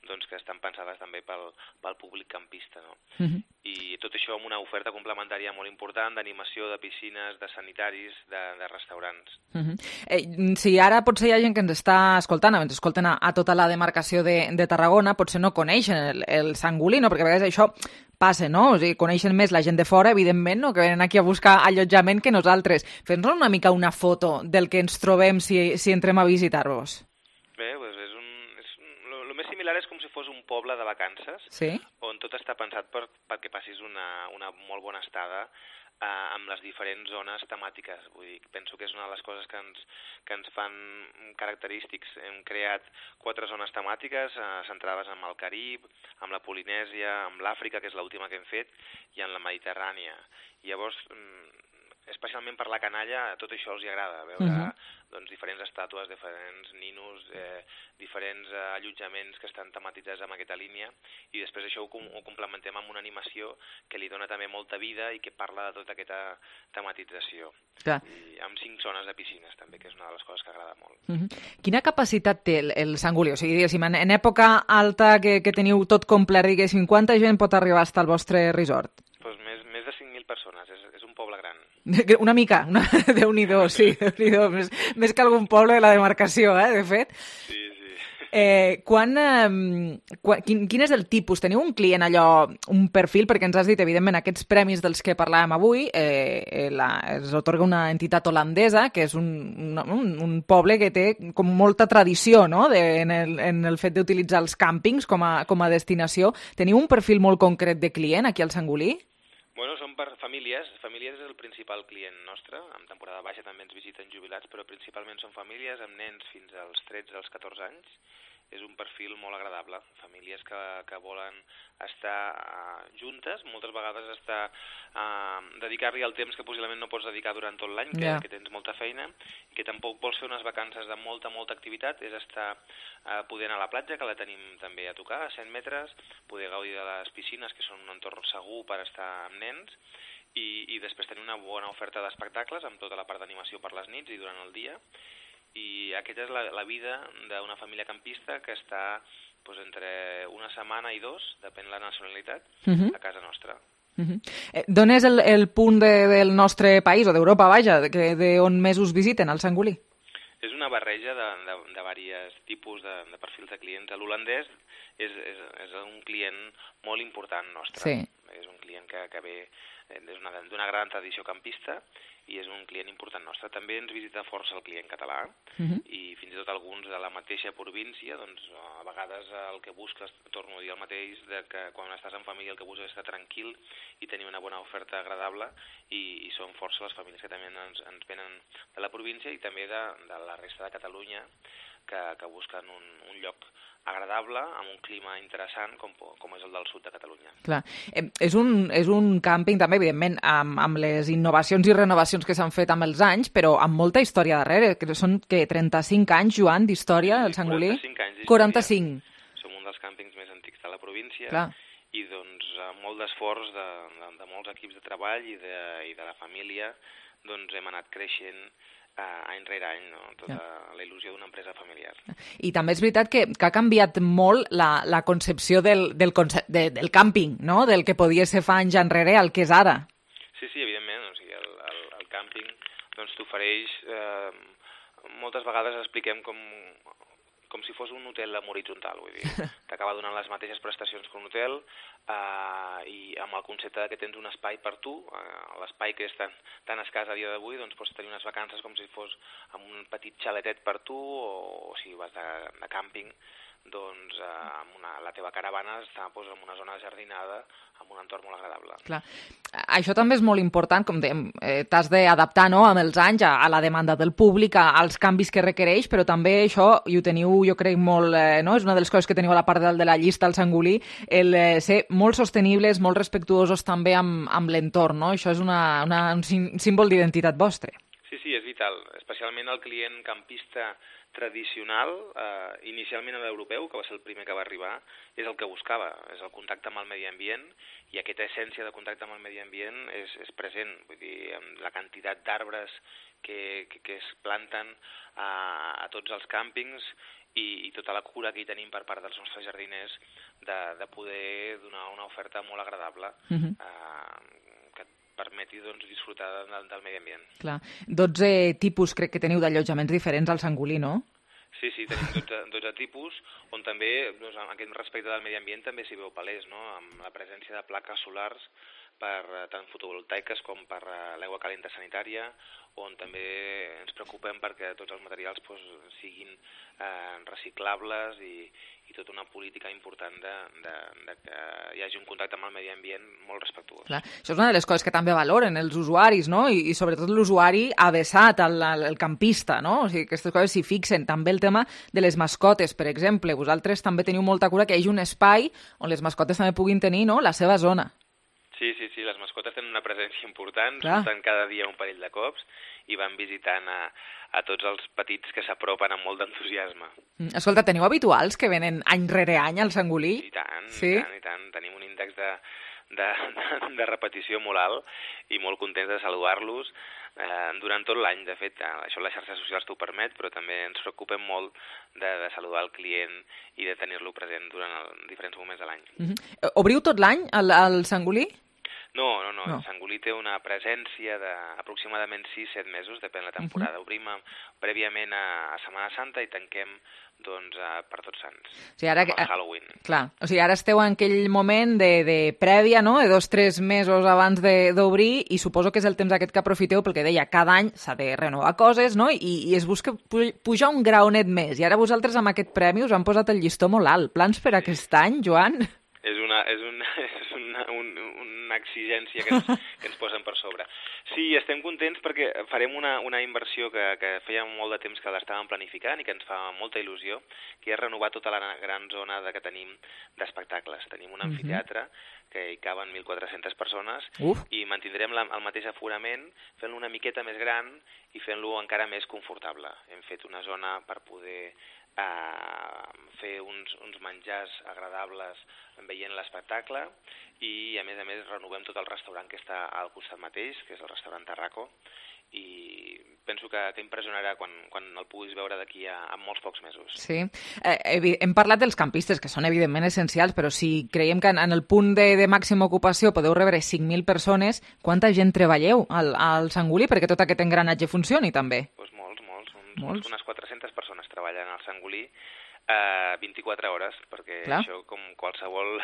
doncs, que estan pensades també pel, pel públic campista. No? Uh-huh. I tot això amb una oferta complementària molt important d'animació, de piscines, de sanitaris, de, de restaurants. Uh-huh. eh, si ara potser hi ha gent que ens està escoltant, ens escolten a, a tota la demarcació de, de Tarragona, potser no coneixen el, el Sangolí, no? Perquè a vegades això passa, no? O sigui, coneixen més la gent de fora, evidentment, no? Que venen aquí a buscar allotjament que nosaltres. Fes-nos una mica una foto del que ens trobem si, si entrem a visitar-vos. Bé, doncs és un... És un lo, lo més similar és com si fos un poble de vacances, sí? On tot està pensat per, perquè passis una, una molt bona estada eh, amb les diferents zones temàtiques. Vull dir, penso que és una de les coses que ens, que ens fan característics. Hem creat quatre zones temàtiques eh, centrades en el Carib, amb la Polinèsia, amb l'Àfrica, que és l'última que hem fet, i en la Mediterrània. I llavors, especialment per la canalla, tot això els hi agrada, veure uh-huh. doncs, diferents estàtues, diferents ninos, eh, diferents eh, allotjaments que estan tematitzats amb aquesta línia, i després això ho, ho complementem amb una animació que li dona també molta vida i que parla de tota aquesta tematització. Clar. I amb cinc zones de piscines també, que és una de les coses que agrada molt. Uh-huh. Quina capacitat té el, el Sangolí? O sigui, diguéssim, en, en època alta que, que teniu tot complet, diguéssim, quanta gent pot arribar fins al vostre resort? Pues més, més de cinc mil persones, és, és un poble gran. Una mica, una... Déu-n'hi-do, sí, Déu-n'hi-do, més, més que algun poble de la demarcació, eh, de fet. Sí, sí. Eh, quan, eh, quan, quin, quin és el tipus? Teniu un client allò, un perfil, perquè ens has dit, evidentment, aquests premis dels que parlàvem avui, eh, la, els otorga una entitat holandesa, que és un, un, un poble que té com molta tradició, no?, de, en, el, en el fet d'utilitzar els càmpings com a, com a destinació. Teniu un perfil molt concret de client aquí al Sangolí? Bueno, són per famílies. Famílies és el principal client nostre. En temporada baixa també ens visiten jubilats, però principalment són famílies amb nens fins als tretze als catorze anys. És un perfil molt agradable. Famílies que, que volen estar uh, juntes, moltes vegades estar uh, dedicar-li el temps que possiblement no pots dedicar durant tot l'any, que, yeah. que tens molta feina, i que tampoc vols fer unes vacances de molta, molta activitat, és estar uh, poder anar a la platja, que la tenim també a tocar, a cent metres, poder gaudir de les piscines, que són un entorn segur per estar amb nens, i, i després tenir una bona oferta d'espectacles amb tota la part d'animació per les nits i durant el dia. I aquesta és la, la vida d'una família campista que està pues, entre una setmana i dos, depèn de la nacionalitat, uh-huh. a casa nostra. Uh-huh. Eh, d'on és el, el punt de, del nostre país, o d'Europa, vaja, d'on més us visiten, al Sangolí? És una barreja de, de, de diversos tipus de, de perfils de clients. L'holandès és, és, és un client molt important nostre. Sí. És un client que, que ve d'una gran tradició campista i és un client important nostre. També ens visita força el client català uh-huh. i fins i tot alguns de la mateixa província, doncs a vegades el que busques, torno a dir el mateix, de que quan estàs en família el que busques és estar tranquil i tenir una bona oferta agradable, i, i són força les famílies que també ens, ens venen de la província i també de, de la resta de Catalunya, que, que busquen un, un lloc agradable, amb un clima interessant, com, com és el del sud de Catalunya. Clar. Eh, és, un, és un càmping també, evidentment, amb, amb les innovacions i renovacions que s'han fet amb els anys, però amb molta història darrere, que són que trenta-cinc anys, Joan, d'història, el Sangolí? quaranta-cinc anys d'història. quaranta-cinc. Som un dels càmpings més antics de la província. Clar. I doncs molt d'esforç de, de, de molts equips de treball i de, i de la família, doncs hem anat creixent any rere any, no? Tota ja. La il·lusió d'una empresa familiar. I també és veritat que, que ha canviat molt la, la concepció del, del, concept, de, del càmping, no?, del que podia ser fa anys enrere al que és ara. Sí, sí, evidentment. O sigui, el, el, el càmping doncs, t'ofereix... Eh, moltes vegades expliquem com, com si fos un hotel en horitzontal, vull dir, t'acaba donant les mateixes prestacions que un hotel eh, i amb el concepte que tens un espai per tu, eh, l'espai que és tan, tan escàs a dia d'avui, doncs pots tenir unes vacances com si fos amb un petit xaletet per tu o, o si vas de, de càmping, doncs eh, amb una, la teva caravana està doncs, en una zona jardinada amb un entorn molt agradable. Clar. Això també és molt important, com dèiem, eh, t'has d'adaptar, no?, amb els anys a, a la demanda del públic, a, als canvis que requereix, però també això, i ho teniu, jo crec, molt, eh, no?, és una de les coses que teniu a la part de, de la llista, el Sangolí, el eh, ser molt sostenibles, molt respectuosos també amb, amb l'entorn, no? Això és una, una, un símbol d'identitat vostre. Sí, sí, és vital, especialment el client campista tradicional, eh, inicialment l'europeu, que va ser el primer que va arribar, és el que buscava, és el contacte amb el medi ambient, i aquesta essència de contacte amb el medi ambient és, és present, vull dir, amb la quantitat d'arbres que, que, que es planten a, a tots els càmpings i, i tota la cura que hi tenim per part dels nostres jardiners de, de poder donar una oferta molt agradable, uh-huh. eh, permeti doncs, disfrutar del, del medi ambient. Clar. dotze tipus crec que teniu d'allotjaments diferents al Sangolí, no? Sí, sí, tenim dotze, dotze tipus, on també, doncs, en aquest respecte del medi ambient també s'hi veu palès, no?, amb la presència de plaques solars per tant fotovoltaiques com per l'aigua calenta sanitària, on també ens preocupem perquè tots els materials pues, siguin eh, reciclables i, i tota una política important de, de, de que hi hagi un contacte amb el medi ambient molt respectuós. Clar. Això és una de les coses que també valoren els usuaris, no? I, i sobretot l'usuari avesat, el, el campista, no? O sigui, aquestes coses s'hi fixen. També el tema de les mascotes, per exemple. Vosaltres també teniu molta cura que hi hagi un espai on les mascotes també puguin tenir, no?, la seva zona. Sí, sí, sí, les mascotes tenen una presència important, Clar. surten cada dia un parell de cops i van visitant a, a tots els petits que s'apropen amb molt d'entusiasme. Escolta, teniu habituals que venen any rere any al Sangolí? I tant, sí? i tant, i tant. Tenim un índex de, de, de, de repetició molt alt i molt contents de saludar-los eh, durant tot l'any. De fet, això les xarxes socials t'ho permet, però també ens preocupem molt de, de saludar el client i de tenir-lo present durant el, diferents moments de l'any. Uh-huh. Obriu tot l'any al, al Sangolí? No, no, no, no. El Sangolí té una presència d'aproximadament sis set mesos, depèn de la temporada. Uh-huh. Obrim prèviament a, a Setmana Santa i tanquem doncs, a, per Tots Sants, o sigui, ara, amb el Halloween. Clar, o sigui, ara esteu en aquell moment de, de prèvia, no?, de dos tres mesos abans d'obrir, i suposo que és el temps aquest que aprofiteu, perquè deia, cada any s'ha de renovar coses, no?, i, i es busca pujar un graonet més, i ara vosaltres amb aquest premi us han posat el llistó molt alt. Plans per aquest any, Joan? És una, és una, és una, un, una exigència que ens, que ens posen per sobre. Sí, estem contents perquè farem una, una inversió que, que feia molt de temps que l'estàvem planificant i que ens fa molta il·lusió, que és renovar tota la gran zona de, que tenim d'espectacles. Tenim un amfiteatre que hi caben mil quatre-centes persones Uf. i mantindrem la, el mateix aforament fent-lo una miqueta més gran i fent-lo encara més confortable. Hem fet una zona per poder a fer uns, uns menjars agradables veient l'espectacle i a més a més renovem tot el restaurant que està al costat mateix, que és el restaurant Tarraco, i penso que, que impressionarà quan, quan el puguis veure d'aquí a, a molts pocs mesos. Sí, eh, hem parlat dels campistes, que són evidentment essencials, però si creiem que en, en el punt de, de màxima ocupació podeu rebre cinc mil persones, quanta gent treballeu al, al Sangolí perquè tot aquest engranatge funcioni també? Pues molts, molts, uns, molts. unes quatre-centes persones treballen al Sangolí Uh, vint-i-quatre hores, perquè Clar. Això, com qualsevol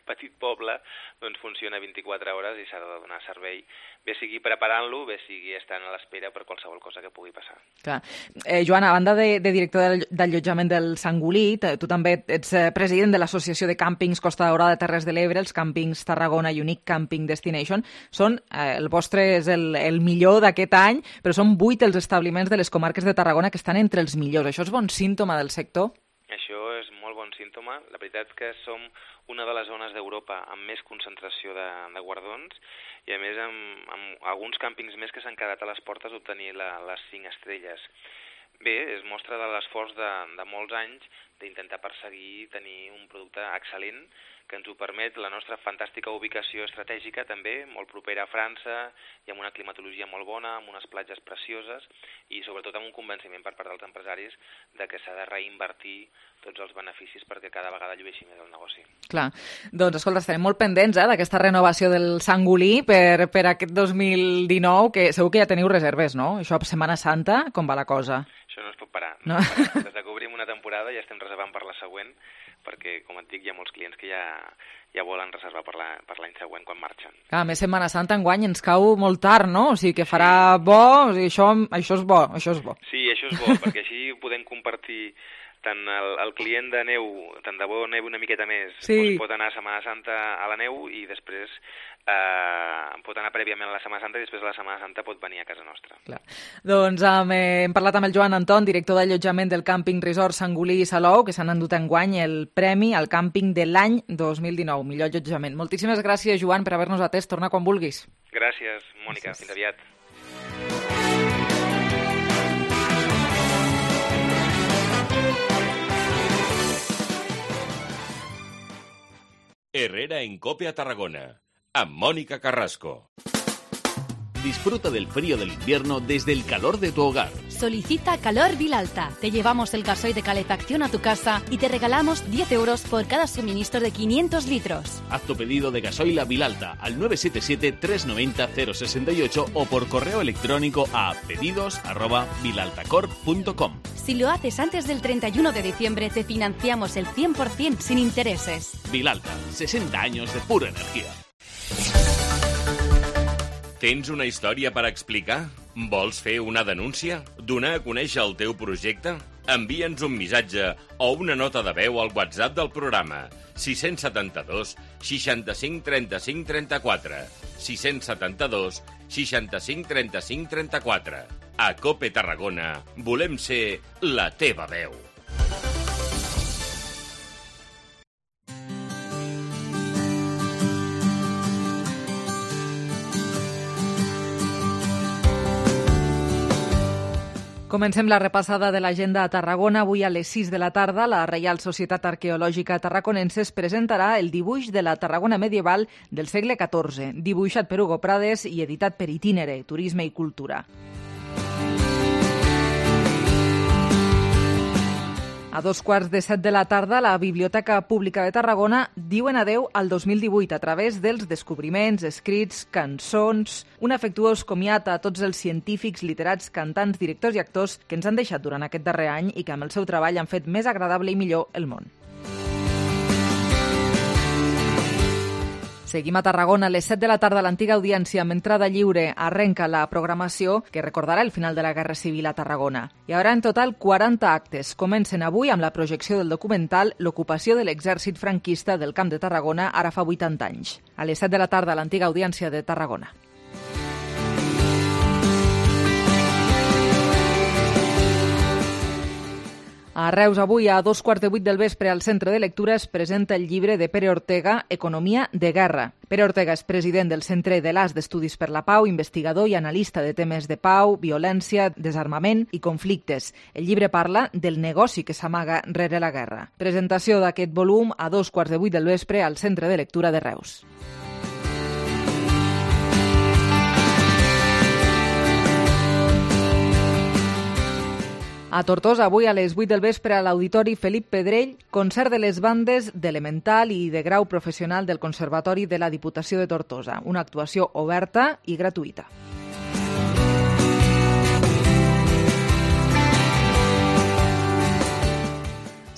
petit poble, doncs funciona vint-i-quatre hores i s'ha de donar servei, bé sigui preparant-lo, bé sigui estant a l'espera per qualsevol cosa que pugui passar. Clar. Eh, Joan, a banda de, de director d'allotjament del Sangolí, tu també ets president de l'Associació de Càmpings Costa Daurada de Terres de l'Ebre, els Càmpings Tarragona i Unique Camping Destination. Són, eh, el vostre és el, el millor d'aquest any, però són vuit els establiments de les comarques de Tarragona que estan entre els millors. Això és bon símptoma del sector? Això és molt bon símptoma. La veritat que som una de les zones d'Europa amb més concentració de, de guardons i a més amb, amb alguns càmpings més que s'han quedat a les portes d'obtenir la, les cinc estrelles. Bé, es mostra de l'esforç de, de molts anys d'intentar perseguir tenir un producte excel·lent que ens ho permet la nostra fantàstica ubicació estratègica també, molt propera a França i amb una climatologia molt bona, amb unes platges precioses i sobretot amb un convenciment per part dels empresaris de que s'ha de reinvertir tots els beneficis perquè cada vegada llueixi més el negoci. Clar. Doncs, escolta, estarem molt pendents eh, d'aquesta renovació del Sangolí per, per aquest dos mil dinou, que segur que ja teniu reserves, no? Això, Setmana Santa, com va la cosa? Això no es pot parar. No? No es pot parar. Des que obrim una una temporada, ja estem reservant per la següent, perquè, com et dic, hi ha molts clients que ja, ja volen reservar per la, per l'any següent quan marxen. A més, Setmana Santa enguany ens cau molt tard, no? O sigui que farà bo, o sigui, això, això és bo, això és bo. Sí, això és bo, perquè així podem compartir tant el, el client de neu, tant de bo neu una miqueta més, sí. doncs pot anar a Setmana Santa a la neu i després eh, pot anar prèviament a la Setmana Santa i després a la Setmana Santa pot venir a casa nostra. Clar. Doncs um, eh, hem parlat amb el Joan Anton, director d'allotjament del càmping Resort Sangolí i Salou, que s'han endut enguany el premi al càmping de l'any dos mil dinou, millor allotjament. Moltíssimes gràcies, Joan, per haver-nos atès. Torna quan vulguis. Gràcies, Mònica. Gràcies. Fins aviat. Herrera en Cope a Tarragona, amb Mónica Carrasco. Disfruta del frío del invierno desde el calor de tu hogar. Solicita Calor Vilalta. Te llevamos el gasoil de calefacción a tu casa y te regalamos diez euros por cada suministro de quinientos litros. Haz tu pedido de gasoil a Vilalta al nueve siete siete, tres nueve cero, cero seis ocho o por correo electrónico a pedidos arroba vilaltacorp punto com. Si lo haces antes del treinta y uno de diciembre, te financiamos el cien por ciento sin intereses. Vilalta, sesenta años de pura energía. Tens una història per explicar? Vols fer una denúncia? Donar a conèixer el teu projecte? Envia'ns un missatge o una nota de veu al WhatsApp del programa sis set dos, seixanta-cinc, trenta-cinc, trenta-quatre sis set dos, seixanta-cinc, trenta-cinc, trenta-quatre. A Cope Tarragona volem ser la teva veu. Comencem la repassada de l'agenda a Tarragona. Avui a les sis de la tarda la Reial Societat Arqueològica Tarraconense es presentarà el dibuix de la Tarragona medieval del segle catorze, dibuixat per Hugo Prades i editat per Itinere, Turisme i Cultura. A dos quarts de set de la tarda, la Biblioteca Pública de Tarragona diuen adeu al dos mil divuit a través dels descobriments, escrits, cançons, un afectuós comiat a tots els científics, literats, cantants, directors i actors que ens han deixat durant aquest darrer any i que amb el seu treball han fet més agradable i millor el món. Seguim a Tarragona. A les set de la tarda, l'antiga audiència amb entrada lliure arrenca la programació que recordarà el final de la Guerra Civil a Tarragona. Hi haurà en total quaranta actes. Comencen avui amb la projecció del documental L'ocupació de l'exèrcit franquista del Camp de Tarragona ara fa vuitanta anys. A les set de la tarda, l'antiga audiència de Tarragona. A Reus, avui, a dos quarts de vuit del vespre, al Centre de Lectura es presenta el llibre de Pere Ortega, Economia de guerra. Pere Ortega és president del Centre de l'As d'Estudis per la Pau, investigador i analista de temes de pau, violència, desarmament i conflictes. El llibre parla del negoci que s'amaga rere la guerra. Presentació d'aquest volum a dos quarts de vuit del vespre al Centre de Lectura de Reus. A Tortosa, avui a les vuit del vespre a l'Auditori Felip Pedrell, concert de les bandes d'Elemental i de grau professional del Conservatori de la Diputació de Tortosa. Una actuació oberta i gratuïta.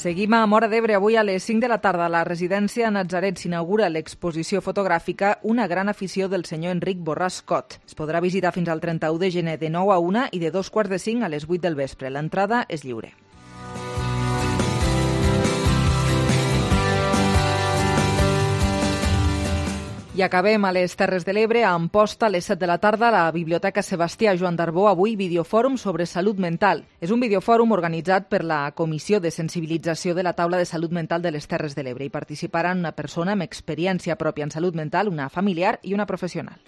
Seguim a Móra d'Ebre. Avui a les cinc de la tarda a la residència Natzaret s'inaugura l'exposició fotogràfica Una gran afició del senyor Enric Borràs Cot. Es podrà visitar fins al trenta-u de gener de nou a una i de dos quarts de cinc a les vuit del vespre. L'entrada és lliure. I acabem a les Terres de l'Ebre, a Amposta, a les set de la tarda, a la Biblioteca Sebastià Joan d'Arbó, avui videofòrum sobre salut mental. És un videofòrum organitzat per la Comissió de Sensibilització de la Taula de Salut Mental de les Terres de l'Ebre. Hi participaran una persona amb experiència pròpia en salut mental, una familiar i una professional.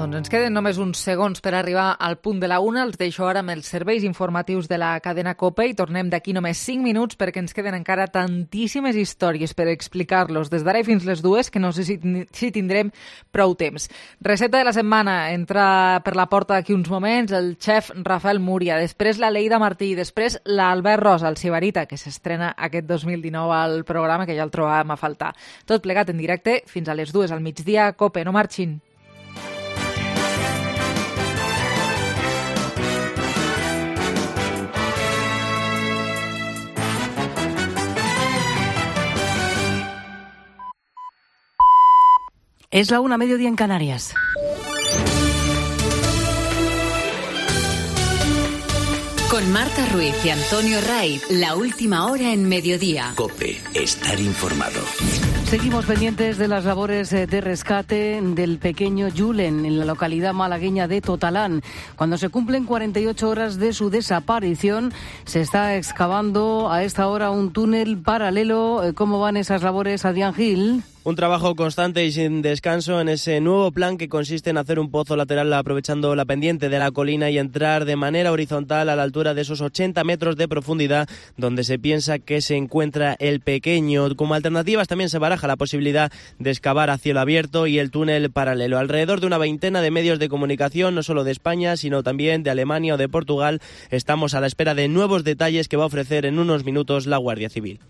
Doncs ens queden només uns segons per arribar al punt de la una. Els deixo ara amb els serveis informatius de la cadena COPE i tornem d'aquí només cinc minuts perquè ens queden encara tantíssimes històries per explicar-los des d'ara fins les dues que no sé si, si tindrem prou temps. Recepta de la setmana. Entra per la porta d'aquí uns moments el xef Rafael Múria, després la Leida Martí, després l'Albert Rosa, el Sibarita, que s'estrena aquest dos mil dinou al programa, que ja el trobàvem a faltar. Tot plegat en directe fins a les dues al migdia. COPE, no marxin. Es la una, mediodía en Canarias. Con Marta Ruiz y Antonio Raiz, la última hora en mediodía. COPE, estar informado. Seguimos pendientes de las labores de rescate del pequeño Julen en la localidad malagueña de Totalán. Cuando se cumplen cuarenta y ocho horas de su desaparición, se está excavando a esta hora un túnel paralelo. ¿Cómo van esas labores, Adrián Gil? Un trabajo constante y sin descanso en ese nuevo plan que consiste en hacer un pozo lateral aprovechando la pendiente de la colina y entrar de manera horizontal a la altura de esos ochenta metros de profundidad donde se piensa que se encuentra el pequeño. Como alternativas también se baraja la posibilidad de excavar a cielo abierto y el túnel paralelo. Alrededor de una veintena de medios de comunicación, no solo de España, sino también de Alemania o de Portugal, estamos a la espera de nuevos detalles que va a ofrecer en unos minutos la Guardia Civil.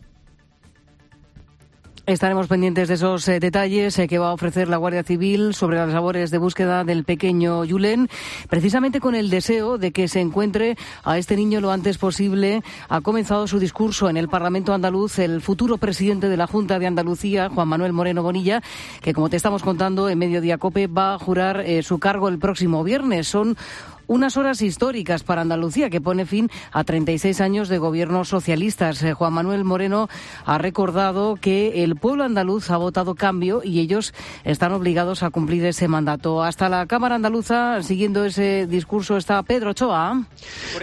Estaremos pendientes de esos eh, detalles eh, que va a ofrecer la Guardia Civil sobre las labores de búsqueda del pequeño Julen, precisamente con el deseo de que se encuentre a este niño lo antes posible. Ha comenzado su discurso en el Parlamento andaluz el futuro presidente de la Junta de Andalucía, Juan Manuel Moreno Bonilla, que, como te estamos contando en Mediodía COPE, va a jurar eh, su cargo el próximo viernes. Son unas horas históricas para Andalucía, que pone fin a treinta y seis años de gobiernos socialistas. Eh, Juan Manuel Moreno ha recordado que el pueblo andaluz ha votado cambio y ellos están obligados a cumplir ese mandato. Hasta la Cámara Andaluza, siguiendo ese discurso, está Pedro Ochoa.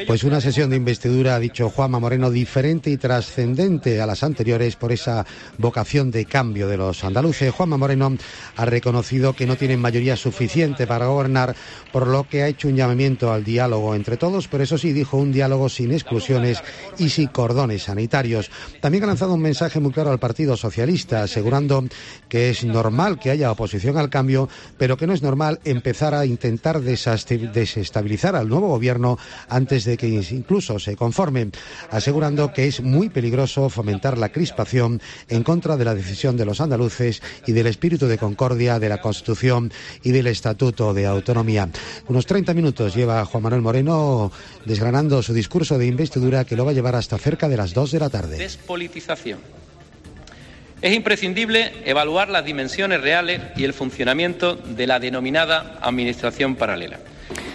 Pues una sesión de investidura, ha dicho Juanma Moreno, diferente y trascendente a las anteriores por esa vocación de cambio de los andaluces. Juanma Moreno ha reconocido que no tienen mayoría suficiente para gobernar, por lo que ha hecho un llamamiento al diálogo entre todos, pero eso sí, dijo, un diálogo sin exclusiones y sin cordones sanitarios. También ha lanzado un mensaje muy claro al Partido Socialista, asegurando que es normal que haya oposición al cambio, pero que no es normal empezar a intentar desestabilizar al nuevo gobierno antes de que incluso se conforme, asegurando que es muy peligroso fomentar la crispación en contra de la decisión de los andaluces y del espíritu de concordia de la Constitución y del Estatuto de Autonomía. Unos treinta minutos lleva Juan Manuel Moreno desgranando su discurso de investidura, que lo va a llevar hasta cerca de las dos de la tarde. Despolitización. Es imprescindible evaluar las dimensiones reales y el funcionamiento de la denominada administración paralela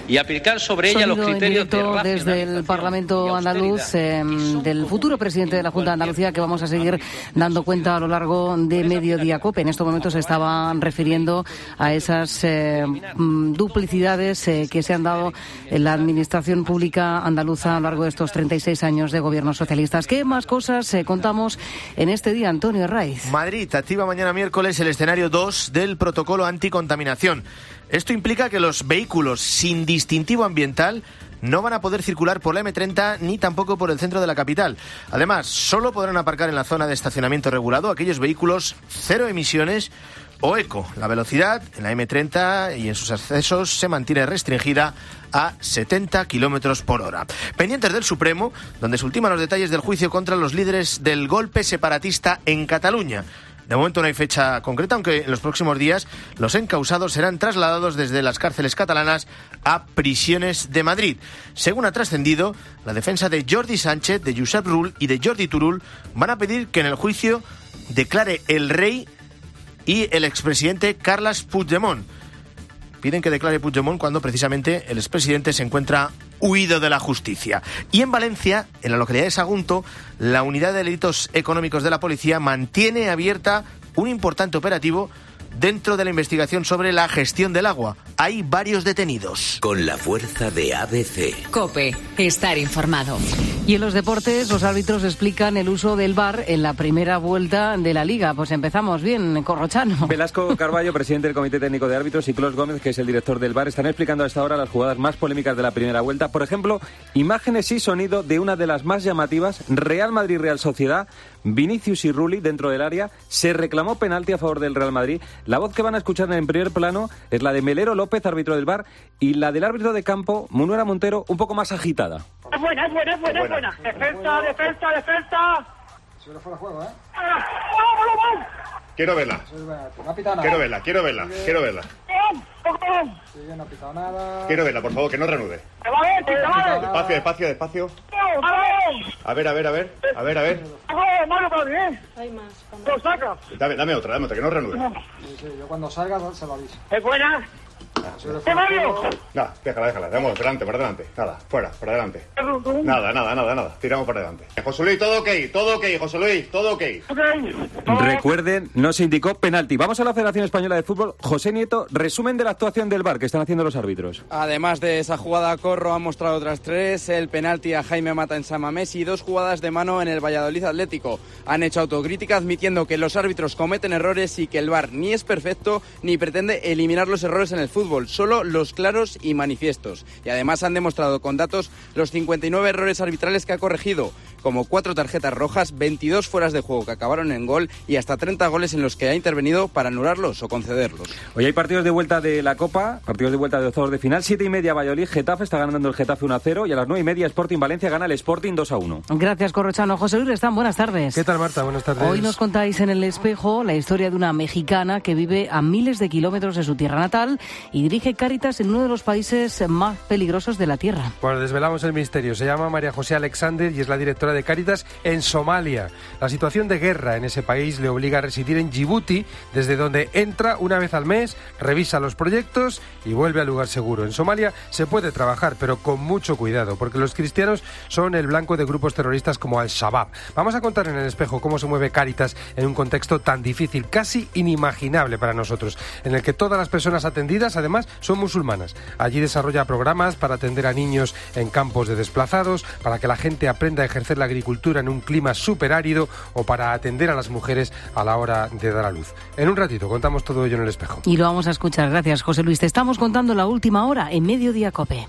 y aplicar sobre ella los criterios de racionalización desde el Parlamento andaluz eh, del futuro presidente de la Junta de Andalucía, que vamos a seguir dando cuenta a lo largo de Mediodía COPE. En estos momentos se estaban refiriendo a esas eh, duplicidades eh, que se han dado en la administración pública andaluza a lo largo de estos treinta y seis años de gobiernos socialistas. ¿Qué más cosas eh, contamos en este día, Antonio Raiz? Madrid activa mañana miércoles el escenario dos del protocolo anticontaminación. Esto implica que los vehículos sin distintivo ambiental no van a poder circular por la eme treinta ni tampoco por el centro de la capital. Además, solo podrán aparcar en la zona de estacionamiento regulado aquellos vehículos cero emisiones o eco. La velocidad en la eme treinta y en sus accesos se mantiene restringida a setenta kilómetros por hora. Pendientes del Supremo, donde se ultiman los detalles del juicio contra los líderes del golpe separatista en Cataluña. De momento no hay fecha concreta, aunque en los próximos días los encausados serán trasladados desde las cárceles catalanas a prisiones de Madrid. Según ha trascendido, la defensa de Jordi Sánchez, de Josep Rull y de Jordi Turull van a pedir que en el juicio declare el rey y el expresidente Carles Puigdemont. Piden que declare Puigdemont cuando precisamente el expresidente se encuentra huido de la justicia. Y en Valencia, en la localidad de Sagunto, la unidad de delitos económicos de la policía mantiene abierta un importante operativo dentro de la investigación sobre la gestión del agua. hay varios detenidos. Con la fuerza de A B C. COPE, estar informado. Y en los deportes, los árbitros explican el uso del V A R en la primera vuelta de la Liga. Pues empezamos bien, Corrochano. Velasco Carballo, presidente del Comité Técnico de Árbitros, y Clos Gómez, que es el director del V A R, están explicando a esta hora las jugadas más polémicas de la primera vuelta. Por ejemplo, imágenes y sonido de una de las más llamativas, Real Madrid-Real Sociedad. Vinicius y Rulli dentro del área, se reclamó penalti a favor del Real Madrid. La voz que van a escuchar en el primer plano es la de Melero López, árbitro del V A R, y la del árbitro de campo, Munuera Montero, un poco más agitada. Es buena, es buena, es buena, es buena. Defensa, defensa, defensa. Se lo fuera juego, ¿eh? ¡Vamos, vamos, vamos! Quiero verla. No ha pitado nada. Quiero verla, quiero verla, quiero verla. Sí, no ha pitado nada. Quiero verla, por favor, que no reanude. ¡Te va a ver, te va a ver! Despacio, despacio, despacio. A ver, a ver, a ver, a ver, a ver. ¡Malo para mí, eh! Hay más. ¡Lo saca! Dame, dame otra, dame otra, que no reanude. Sí, sí, yo cuando salga se lo aviso. ¡Es buena! ¡Te Mario! Nada, déjala, déjala, vamos, delante, para adelante. Nada, fuera, para adelante. Nada, nada, nada, nada. Tiramos para adelante. José Luis, todo ok, todo ok, José Luis, todo ok. Recuerden, no se indicó penalti. Vamos a la Federación Española de Fútbol. José Nieto, resumen de la actuación del V A R que están haciendo los árbitros. Además de esa jugada, Corro ha mostrado otras tres, el penalti a Jaime Mata en San Mamés y dos jugadas de mano en el Valladolid Atlético. Han hecho autocrítica admitiendo que los árbitros cometen errores y que el V A R ni es perfecto ni pretende eliminar los errores en el fútbol, solo los claros y manifiestos. Y además han demostrado con datos los cincuenta y nueve errores arbitrales que ha corregido, como cuatro tarjetas rojas, veintidós fueras de juego que acabaron en gol y hasta treinta goles en los que ha intervenido para anularlos o concederlos. Hoy hay partidos de vuelta de la Copa, partidos de vuelta de octavos de final. Siete y media Valladolid, Getafe, está ganando el Getafe uno a cero, y a las nueve y media Sporting Valencia gana el Sporting dos a uno. Gracias, Corrochano. José Luis Restán, buenas tardes. ¿Qué tal, Marta? Buenas tardes. Hoy nos contáis en El Espejo la historia de una mexicana que vive a miles de kilómetros de su tierra natal y dirige Cáritas en uno de los países más peligrosos de la Tierra. Bueno, desvelamos el misterio. Se llama María José Alexander y es la directora de Cáritas en Somalia. La situación de guerra en ese país le obliga a residir en Djibouti, desde donde entra una vez al mes, revisa los proyectos y vuelve al lugar seguro. En Somalia se puede trabajar, pero con mucho cuidado, porque los cristianos son el blanco de grupos terroristas como Al-Shabaab. Vamos a contar en El Espejo cómo se mueve Cáritas en un contexto tan difícil, casi inimaginable para nosotros, en el que todas las personas atendidas, además, son musulmanas. Allí desarrolla programas para atender a niños en campos de desplazados, para que la gente aprenda a ejercer la agricultura en un clima súper árido o para atender a las mujeres a la hora de dar a luz. En un ratito contamos todo ello en El Espejo. Y lo vamos a escuchar. Gracias, José Luis. Te estamos contando la última hora en Mediodía COPE.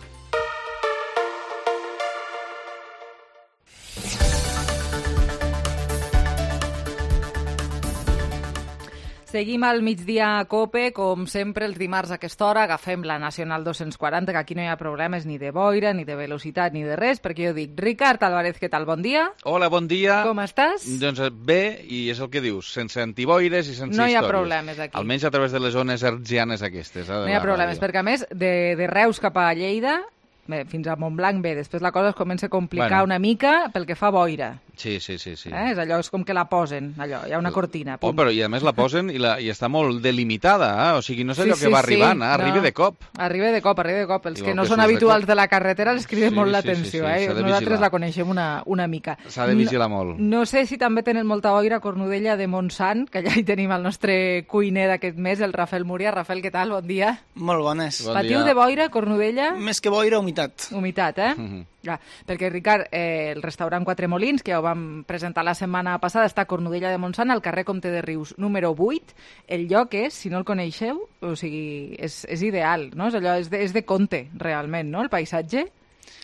Seguim al migdia a COPE, com sempre els dimarts a aquesta hora agafem la Nacional dos-cents quaranta, que aquí no hi ha problemes ni de boira, ni de velocitat, ni de res, perquè jo dic, Ricard Álvarez, què tal? Bon dia. Hola, bon dia. Com estàs? Doncs bé, i és el que dius, sense antiboires i sense no històries. No hi ha problemes aquí. Almenys a través de les zones hertzianes aquestes. Eh, no hi ha problemes, ràdio. Perquè a més, de, de Reus cap a Lleida, bé, fins a Montblanc bé, després la cosa es comença a complicar bueno. una mica pel que fa boira. Sí, sí, sí. sí. Eh? És allò, és com que la posen, allò, hi ha una cortina. Oh, però i a més la posen i, la, i està molt delimitada, eh? O sigui, no és allò sí, que va sí, arribant, sí. eh? arriba no. de cop. Arriba de cop, arriba de cop. Els Igual que no que són habituals de, de la carretera els crida sí, molt l'atenció, sí, sí, sí. eh? Nosaltres la coneixem una, una mica. S'ha de vigilar no, molt. No sé si també tenen molta boira a Cornudella de Montsant, que allà hi tenim el nostre cuiner d'aquest mes, el Rafael Múria. Rafael, què tal? Bon dia. Molt bones. Bon Patiu dia. De boira, Cornudella? Més que boira, humitat. Humitat, eh? Mm-hmm. Ja, perquè, Ricard, eh, el restaurant Quatre Molins, que ja ho vam presentar la setmana passada, està a Cornudella de Montsant, al carrer Comte de Rius, número vuit. El lloc és, si no el coneixeu, o sigui, és, és ideal, no? És allò, és de, és de conte, realment, no?, el paisatge.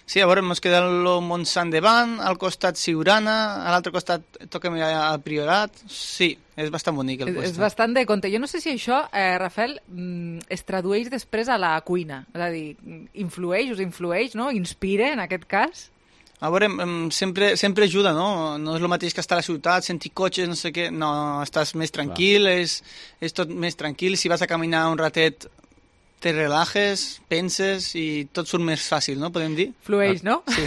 Sí, a veure, mos queda el Montsant davant, al costat Siurana, a l'altre costat toquem al Priorat. Sí, és bastant bonic el és, és bastant de conte. Jo no sé si això, eh, Rafael, es tradueix després a la cuina. És a dir, influeix, us influeix, no? Inspira, en aquest cas? A veure, sempre, sempre ajuda, no? No és el mateix que estar a la ciutat, sentir cotxes, no sé què. No, estàs més tranquil, és, és tot més tranquil. Si vas a caminar un ratet, te relajes, penses i tot surt més fàcil, no? Podem dir? Flueix, no? Sí.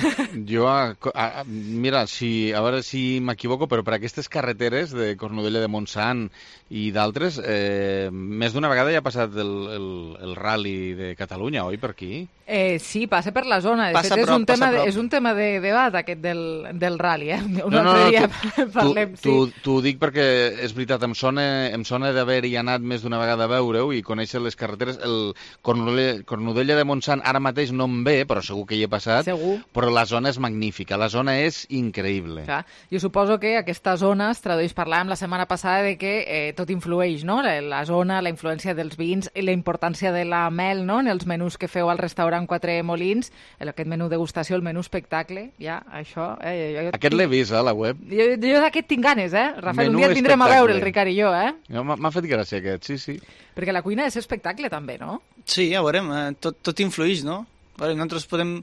Jo, a, a, mira, si, a veure si m'equivoco, però per aquestes carreteres de Cornudella de Montsant i d'altres, eh, més d'una vegada ja ha passat el, el, el rally de Catalunya, oi, per aquí? Eh, sí, passa per la zona. De passa fet, prop, és un tema prop. de, és un tema de debat, aquest del, del rally, eh? Un no, altre no, dia tu, parlem, tu, sí. T'ho dic perquè és veritat, em sona, em sona d'haver-hi anat més d'una vegada a veure-ho i conèixer les carreteres. El, Cornudella, Cornudella de Montsant ara mateix no em ve, però segur que hi he passat. Segur. Però la zona és magnífica, la zona és increïble. Clar, jo suposo que aquesta zona es tradueix, parlàvem la setmana passada de que eh, tot influeix, no? La, la zona, la influència dels vins i la importància de la mel, no? En els menús que feu al restaurant Quatre Molins, aquest menú degustació, el menú espectacle, ja, això... Eh, jo, jo aquest l'he vist, a la web. Jo, jo d'aquest tinc ganes, eh? Rafael, Menú un dia et vindrem espectacle. a veure, el Ricard i jo, eh? M'ha fet gràcia aquest, sí, sí. Perquè la cuina és espectacle, també, no? Sí, ja veurem, eh, tot, tot influeix, no? Veure, nosaltres podem,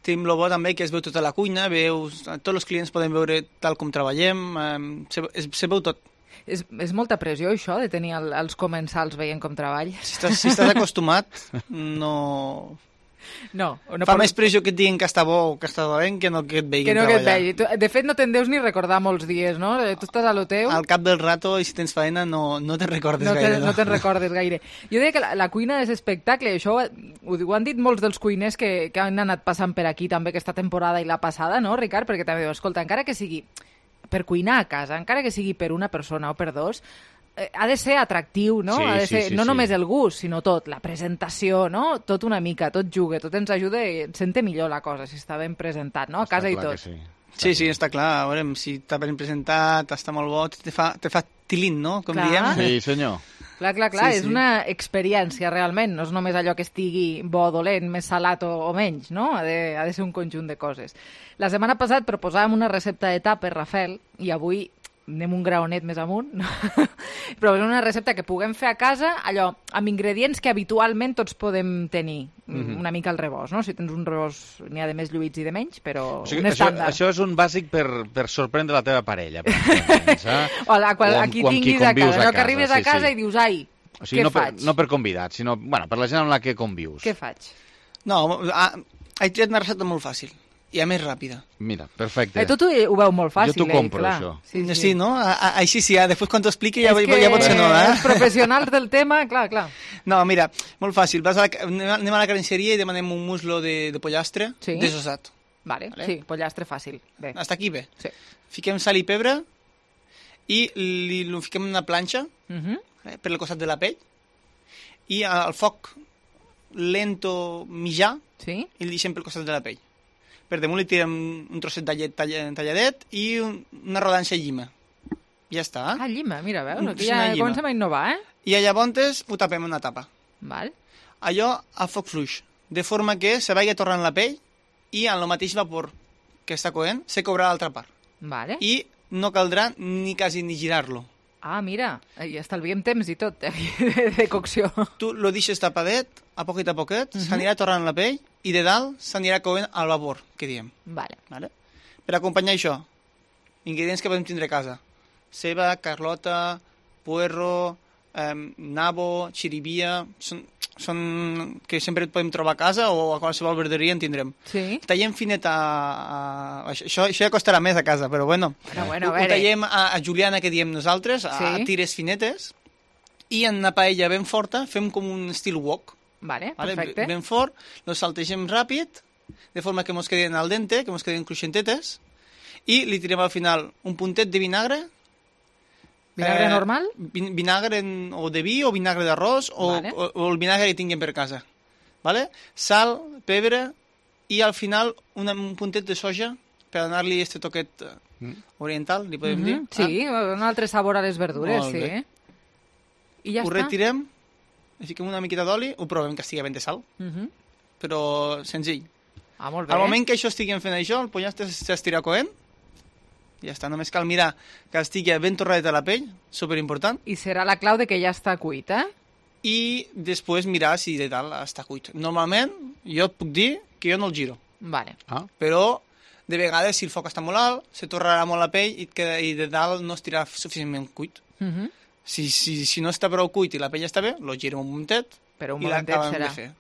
tenim el bo també que es veu tota la cuina, veus, tots els clients poden veure tal com treballem, eh, se, es, se veu tot. És, és molta pressió, això, de tenir el, els comensals veient com treballes. Si estàs, si estàs acostumat, no... No, no Fa per... més pressió que et diguin que està bo o que està dolent que no que et veguin que no treballar. Que et vegi. Tu, de fet, no te'n deus ni recordar molts dies, no? Tu estàs a lo teu... Al cap del rato, i si tens feina, no, no te'n recordes no gaire. Te, no no te'n recordes gaire. Jo deia que la, la cuina és espectacle, això ho, ho han dit molts dels cuiners que, que han anat passant per aquí també aquesta temporada i la passada, no, Ricard? Perquè també diu, escolta, encara que sigui per cuinar a casa, encara que sigui per una persona o per dos, ha de ser atractiu, no? Sí, ha de ser sí, sí, no sí. només el gust, sinó tot, la presentació, no? Tot una mica, tot juga, tot ens ajuda i et sente millor la cosa, si està ben presentat, no? A casa i tot. Sí. Sí, sí, està clar. A veure, si està ben presentat, està molt bo, te fa, te fa tilín, no? Com Clar. diem. Sí, senyor. Clar, clar, clar, Sí, és sí. una experiència realment, no és només allò que estigui bo o dolent, més salat o, o menys, no? Ha de, ha de ser un conjunt de coses. La setmana passada proposàvem una recepta de tàper, Rafael, i avui anem un graonet més amunt, no? Però és una recepta que puguem fer a casa, allò, amb ingredients que habitualment tots podem tenir, Mhm. una mica al rebost, no? Si tens un rebost, n'hi ha de més lluïts i de menys, però O sigui, un això, estàndard. això és un bàsic per, per sorprendre la teva parella. Per exemple, saps? O a, qual, O a amb- qui o amb qui tinguis a convius casa, allò que arribes a sí, casa sí. i dius, ai, O sigui, què no per, faig? no per convidats, sinó bueno, per la gent amb la que convius. Què faig? No, ah, he triat una recepta molt fàcil i a més ràpida. Mira, perfecte. Eh, tot ho, ho veu molt fàcil, Jo t'ho eh? compro, Clar. això. Sí, sí. Sí, no? A, a, així sí, ja, després quan t'ho expliqui ja, És ja, ja pot ser no, eh? els professionals del tema, clar, clar. No, mira, molt fàcil. Vas a la, anem a la carnisseria i demanem un muslo de, de pollastre Sí. desossat. Vale, Vale. sí, pollastre fàcil. Bé. Hasta aquí bé. Sí. Fiquem sal i pebre i li, li fiquem en una planxa Mhm. eh, per al costat de la pell i al foc lento mitjà sí. i el deixem pel costat de la pell. Per damunt li tirem un trosset de llet tall- talladet i un, una rodanxa de llima. Ja està. Ah, llima, mira, veus? Un- Aquí sí, ja una llima. comencem a innovar, eh? I a llavors ho tapem en una tapa. Val. Allò a foc fluix, de forma que se vagi tornant la pell i en el mateix vapor que està coent se cobrà l'altra part. Vale. I no caldrà ni quasi ni girar-lo. Ah, mira, i estalviem temps i tot, eh? de, de cocció. Tu lo deixes tapadet, a poquet a poquet, Mhm. s'anirà tornant la pell i de dalt s'anirà coent al vapor, que diem. Vale. Vale? Per acompanyar això, ingredients que podem tindre a casa. Ceba, carlota, puerro, eh, nabo, xirivia, són, són que sempre podem trobar a casa o a qualsevol verderia en tindrem. Sí. Tallem finet a... a això, això ja costarà més a casa, però bueno. Bueno, bueno, ho, a ho veure. tallem a, a juliana, que diem nosaltres, a, Sí. a tires finetes, i en una paella ben forta fem com un estil wok. Vale, Vale? perfecte. Ben fort, los saltegem ràpid, de forma que mos queden al dente, que mos queden cruixentetes, i li tirem al final un puntet de vinagre. Vinagre normal? vin- Vinagre en, o de vi o vinagre d'arròs o, Vale. o, o el vinagre que tinguem per casa. Vale? Sal, pebre i al final una, un puntet de soja per donar-li este toquet eh, Mm. oriental, li podem Mhm, dir. Sí, un altre sabor a les verdures, Molt sí. bé. I ja ho està. retirem, li fiquem una miqueta d'oli, ho provem que estigui ben de sal, Mhm. però senzill. Ah, molt bé. Al moment que això estiguem fent això, el pollastre s'estirà coent, ja està, només cal mirar que estigui ben torradet a la pell, superimportant, I serà la clau de que ja està cuit, eh? i després mirar si de dalt està cuit. Normalment, jo et puc dir que jo no el giro, Vale. Ah. però de vegades, si el foc està molt alt, se torrarà molt la pell i, et queda, i de dalt no estirà suficientment cuit. Mhm. Si, si, si no està prou cuit i la pell està bé, lo girem un momentet Però un i momentet l'acabem serà. de fer.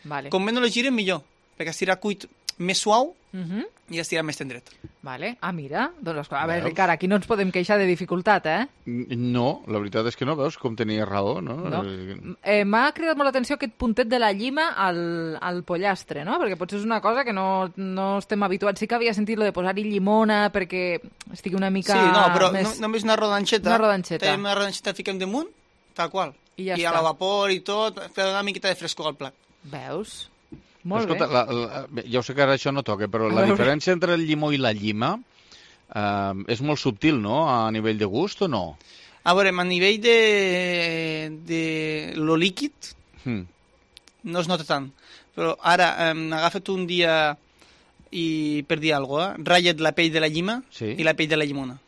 Vale. Com menys lo girem, millor, perquè estirà cuit més suau Mhm. i estirà més tendret. Vale. Ah, mira. Doncs, esclar, a veure, Veus? Ricard, aquí no ens podem queixar de dificultat, eh? No, la veritat és que no, veus com tenia raó, no? No. Eh, Eh, M'ha cridat molt l'atenció aquest puntet de la llima al, al pollastre, no? Perquè potser és una cosa que no, no estem habituats. Sí que havia sentit lo de posar-hi llimona perquè estigui una mica Sí, no, però més... no, només una rodanxeta. Una rodanxeta. Tenim una rodanxeta, fiquem damunt, tal qual. I ja I està. a la vapor i tot, per donar una miqueta de frescor al plat. Veus? Molt Escolta, bé. la, la, ja ho sé que ara això no toca, però A la veure. diferència entre el llimó i la llima eh, és molt subtil, no?, a nivell de gust o no? A veure, a nivell de, de lo líquid Mm. no es nota tant, però ara eh, agafa't un dia i, per dir alguna cosa, eh? Ratlla't la pell de la llima Sí. i la pell de la llimona.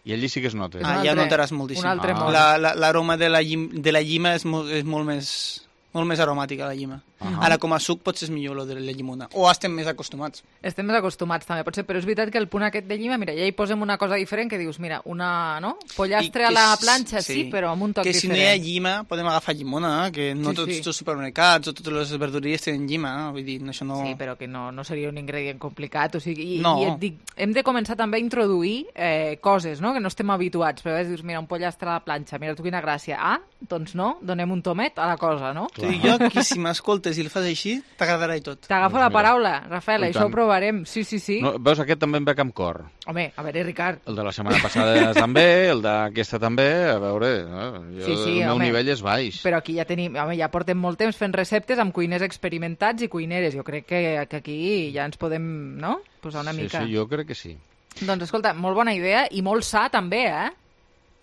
I allí sí que es nota. Ah, ja notaràs moltíssim. un altre Ah. món. La- la- L'aroma de, la llim, de la llima és molt, és molt més molt més aromàtica, la llima. Ahà. Ara, com a suc, potser és millor lo de la llimona. O estem més acostumats. Estem més acostumats també, potser, però és veritat que el punt aquest de llima, mira, ja hi posem una cosa diferent que dius, mira, una, no? Pollastre I a que la s- planxa, sí, sí. però amb un toc Que si diferent. no hi ha llima, podem agafar llimona, eh? Que no Sí, tots sí. els supermercats o totes les verduries tenen llima, eh? Vull dir, això no... Sí, però que no, no seria un ingredient complicat, o sigui, i, No. i et dic, hem de començar també a introduir eh, coses, no?, que no estem habituats, però a vegades dius, mira, un pollastre a la planxa, mira tu quina gràcia, ah, doncs no, donem un tomet a la cosa, no? T'ho dic jo, que si m'escoltes i el fas així, t'agradarà i tot. T'agafo Doncs la mira. paraula, Rafael, I això tant. ho provarem, sí, sí, sí. No, veus, aquest també em ve amb cor. Home, a veure, Ricard. El de la setmana passada també, el d'aquesta també, a veure, eh, jo, Sí, sí, el meu home. nivell és baix. Però aquí ja tenim, home, ja portem molt temps fent receptes amb cuiners experimentats i cuineres. Jo crec que, que aquí ja ens podem, no?, posar una sí, mica. Sí, jo crec que sí. Doncs escolta, molt bona idea i molt sa també, eh?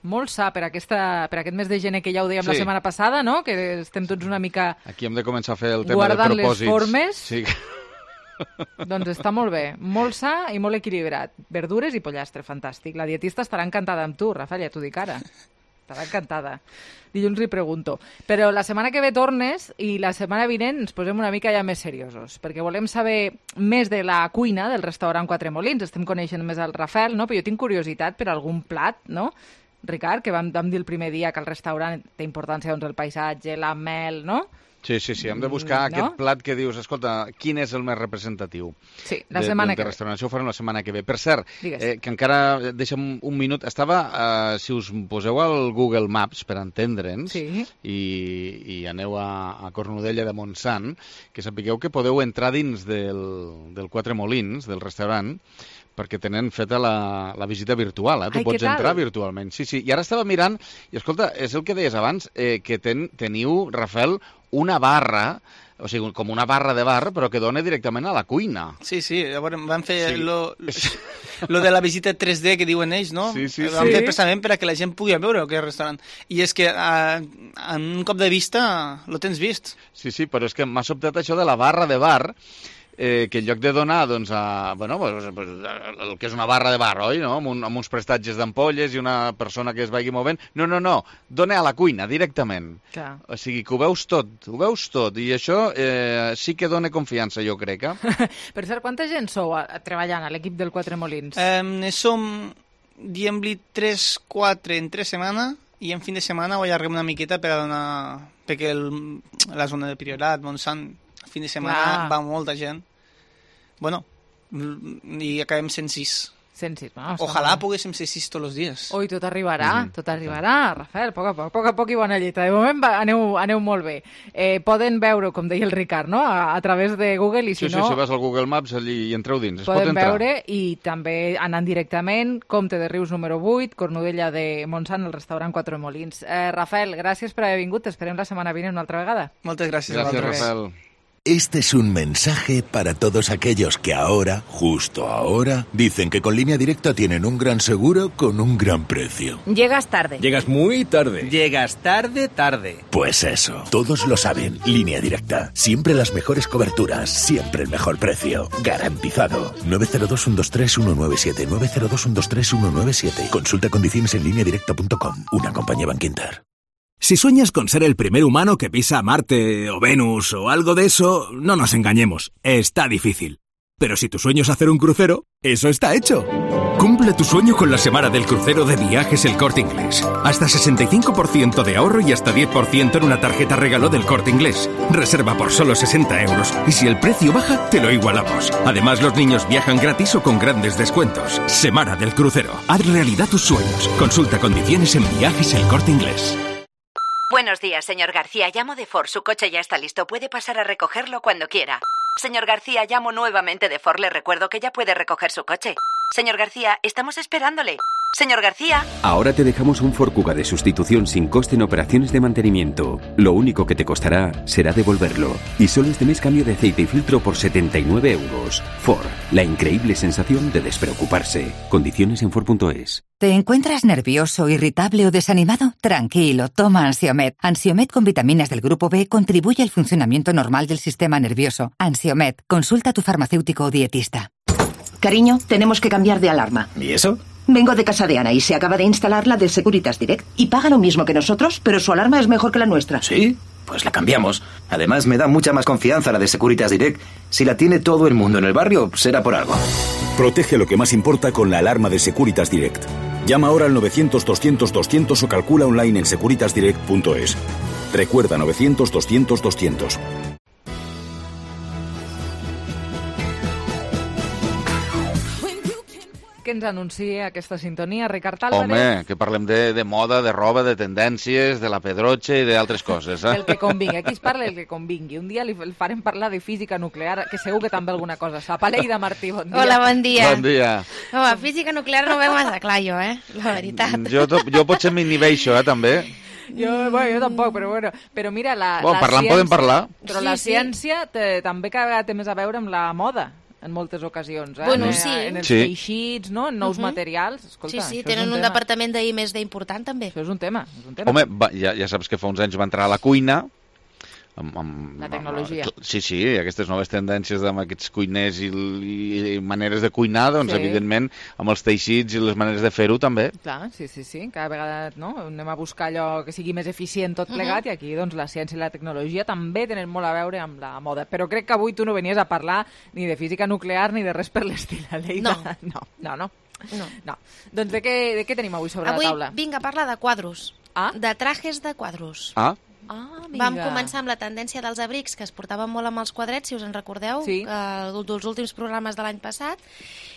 Molt sa per, aquesta, per aquest mes de gener que ja ho dèiem la Sí. setmana passada, no?, que estem tots una mica... Aquí hem de començar a fer el tema Guardant de les propòsits. formes. Sí. Doncs està molt bé, molt sa i molt equilibrat. Verdures i pollastre, fantàstic. La dietista estarà encantada amb tu, Rafael, ja t'ho dic ara. Estarà encantada. Dilluns li pregunto. Però la setmana que ve tornes i la setmana vinent ens posem una mica ja més seriosos, perquè volem saber més de la cuina del restaurant Quatre Molins. Estem coneixent més el Rafael, no? Però jo tinc curiositat per algun plat, no? Ricard, que vam, vam dir el primer dia que el restaurant té importància, doncs, el paisatge, la mel, no? Sí, sí, sí, hem de buscar Mm, aquest no? plat que dius, escolta, quin és el més representatiu Sí, la de, setmana de, que de ve. restauració. Ho farem la setmana que ve. Per cert, Digues. eh, que encara, deixa'm un minut, estava, eh, si us poseu al Google Maps per entendre'ns Sí. i, i aneu a, a Cornudella de Montsant, que sapigueu que podeu entrar dins del, del Quatre Molins, del restaurant, perquè tenen feta la, la visita virtual, eh? Tu Ai, pots què tal? entrar virtualment. Sí, sí. I ara estava mirant, i escolta, és el que deies abans, eh, que ten, teniu, Rafael, una barra, o sigui, com una barra de bar, però que dona directament a la cuina. Sí, sí, llavors van fer Sí. lo, lo de la visita tres D que diuen ells, no? Sí, sí, Ho van sí. fer precisament per a que la gent pugui veure aquest restaurant. I és que a, en un cop de vista lo tens vist. Sí, sí, però és que m'ha sobtat això de la barra de bar, eh, que en lloc de donar doncs, a, bueno, pues, pues, el que és una barra de bar, oi? No? Amb, un, amb uns prestatges d'ampolles i una persona que es vagi movent. No, no, no, dona a la cuina directament. Clar. O sigui, que ho veus tot, ho veus tot. I això eh, sí que dona confiança, jo crec. Eh? Per cert, quanta gent sou a, a, treballant a l'equip del Quatre Molins? Eh, som, diguem-li, tres quatre en tres setmanes i en fin de setmana ho allarguem una miqueta per a donar... perquè el, la zona de Priorat, Montsant, el fin de setmana Clar. va molta gent. Bueno, i acabem cent sis. cent sis, no? Està Ojalà molt bé. poguéssim ser sis tots els dies. Ui, tot arribarà, Mhm. tot arribarà, Rafael, a poc a poc, a poc a poc i bona lletra. De moment va, aneu, aneu molt bé. Eh, poden veure, com deia el Ricard, no?, a, a través de Google i si Sí, sí, no... si vas al Google Maps allí i entreu dins, es pot Poden entrar. veure i també anant directament, Comte de Rius número vuit, Cornudella de Montsant, el restaurant Quatre Molins. Eh, Rafael, gràcies per haver vingut, t'esperem la setmana vinent una altra vegada. Moltes gràcies. Gràcies, a vosaltres. Rafael. Este es un mensaje para todos aquellos que ahora, justo ahora, dicen que con Línea Directa tienen un gran seguro con un gran precio. Llegas tarde. Llegas muy tarde. Llegas tarde, tarde. Pues eso, todos lo saben. Línea Directa. Siempre las mejores coberturas, siempre el mejor precio. Garantizado. nueve cero dos, uno dos tres, uno nueve siete. nueve cero dos, uno dos tres, uno nueve siete. Consulta condiciones en línea directa punto com. Una compañía Bankinter. Si sueñas con ser el primer humano que pisa Marte o Venus o algo de eso, no nos engañemos, está difícil. Pero si tu sueño es hacer un crucero, eso está hecho. Cumple tu sueño con la semana del crucero de Viajes El Corte Inglés. Hasta sesenta y cinco por ciento de ahorro y hasta diez por ciento en una tarjeta regalo del Corte Inglés. Reserva por solo sesenta euros y si el precio baja, te lo igualamos. Además, los niños viajan gratis o con grandes descuentos. Semana del crucero. Haz realidad tus sueños. Consulta condiciones en Viajes El Corte Inglés. Buenos días, señor García. Llamo de Ford. Su coche ya está listo. Puede pasar a recogerlo cuando quiera. Señor García, llamo nuevamente de Ford. Le recuerdo que ya puede recoger su coche. Señor García, estamos esperándole. Señor García. Ahora te dejamos un Ford Kuga de sustitución sin coste en operaciones de mantenimiento. Lo único que te costará será devolverlo. Y solo este mes cambio de aceite y filtro por setenta y nueve euros. Ford, la increíble sensación de despreocuparse. Condiciones en Ford punto es. ¿Te encuentras nervioso, irritable o desanimado? Tranquilo, toma Ansiomed. Ansiomed con vitaminas del grupo B contribuye al funcionamiento normal del sistema nervioso. Ansiomed, consulta a tu farmacéutico o dietista. Cariño, tenemos que cambiar de alarma. ¿Y eso? Vengo de casa de Ana y se acaba de instalar la de Securitas Direct. Y paga lo mismo que nosotros, pero su alarma es mejor que la nuestra. ¿Sí? Pues la cambiamos. Además, me da mucha más confianza la de Securitas Direct. Si la tiene todo el mundo en el barrio, será por algo. Protege lo que más importa con la alarma de Securitas Direct. Llama ahora al novecientos doscientos doscientos o calcula online en securitas direct punto es. Recuerda novecientos doscientos doscientos. Què ens anuncia aquesta sintonia, Ricard Álvarez? Home, que parlem de, de moda, de roba, de tendències, de la pedrotxa i d'altres coses. Eh? El que convingui. Aquí es parla el que convingui. Un dia li farem parlar de física nuclear, que segur que també alguna cosa sap. Aleida Martí, bon dia. Hola, bon dia. Bon dia. Home, física nuclear no ho veig massa clar jo, eh? La veritat. Jo, jo potser m'inhibeixo, eh, també. Jo, bueno, jo tampoc, però bueno. Però mira, la, bueno, la parlant ciència... podem parlar. Però la ciència té, també cada vegada té més a veure amb la moda. En moltes ocasions, eh? Bueno, en, sí. En els sí. teixits, no? En nous uh-huh. materials. Escolta, sí, sí, tenen un, un departament d'I més D important, també. Això és un tema. És un tema. Home, va, ja, ja saps que fa uns anys va entrar a la cuina. Amb, amb, la tecnologia. Amb, sí, sí, aquestes noves tendències amb aquests cuiners i, i, i maneres de cuinar, doncs, sí. evidentment, amb els teixits i les maneres de fer-ho, també. Clar, sí, sí, sí. Cada vegada no? anem a buscar allò que sigui més eficient tot plegat, uh-huh. i aquí doncs, la ciència i la tecnologia també tenen molt a veure amb la moda. Però crec que avui tu no venies a parlar ni de física nuclear ni de res per l'estil, Aleida. No. No, no, no. no. no. Doncs de què, de què tenim avui sobre avui, la taula? Avui vinc a parlar de quadros, ah? de trajes de quadros. Ah? Ah, Vam començar amb la tendència dels abrics, que es portaven molt amb els quadrets, si us en recordeu, sí. que, dels últims programes de l'any passat.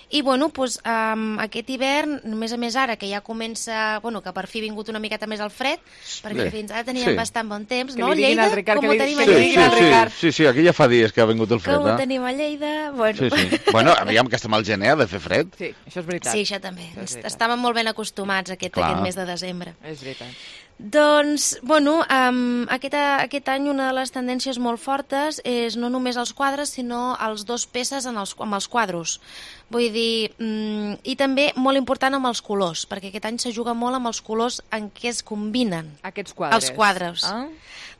I, bueno, doncs, um, aquest hivern, a més a més ara, que ja comença, bueno, que per fi ha vingut una miqueta més el fred, perquè Bé, fins ara teníem sí. bastant bon temps, que no? Lleida, Ricard, com ho tenim sí, a Lleida? Sí, sí, sí, sí, aquí ja fa dies que ha vingut el fred. Com ho eh? tenim a Lleida? Bueno. Sí, sí. Bueno, aviam que estem al gener, ha de fer fred. Sí, això és veritat. Sí, això també. Això Estàvem molt ben acostumats a aquest, aquest mes de desembre. És veritat. Doncs, bueno, um, aquest, aquest any una de les tendències molt fortes és no només els quadres, sinó els dos peces en els, amb els quadros. Vull dir, um, i també molt important amb els colors, perquè aquest any se juga molt amb els colors en què es combinen. Aquests quadres. Els quadres. Ah.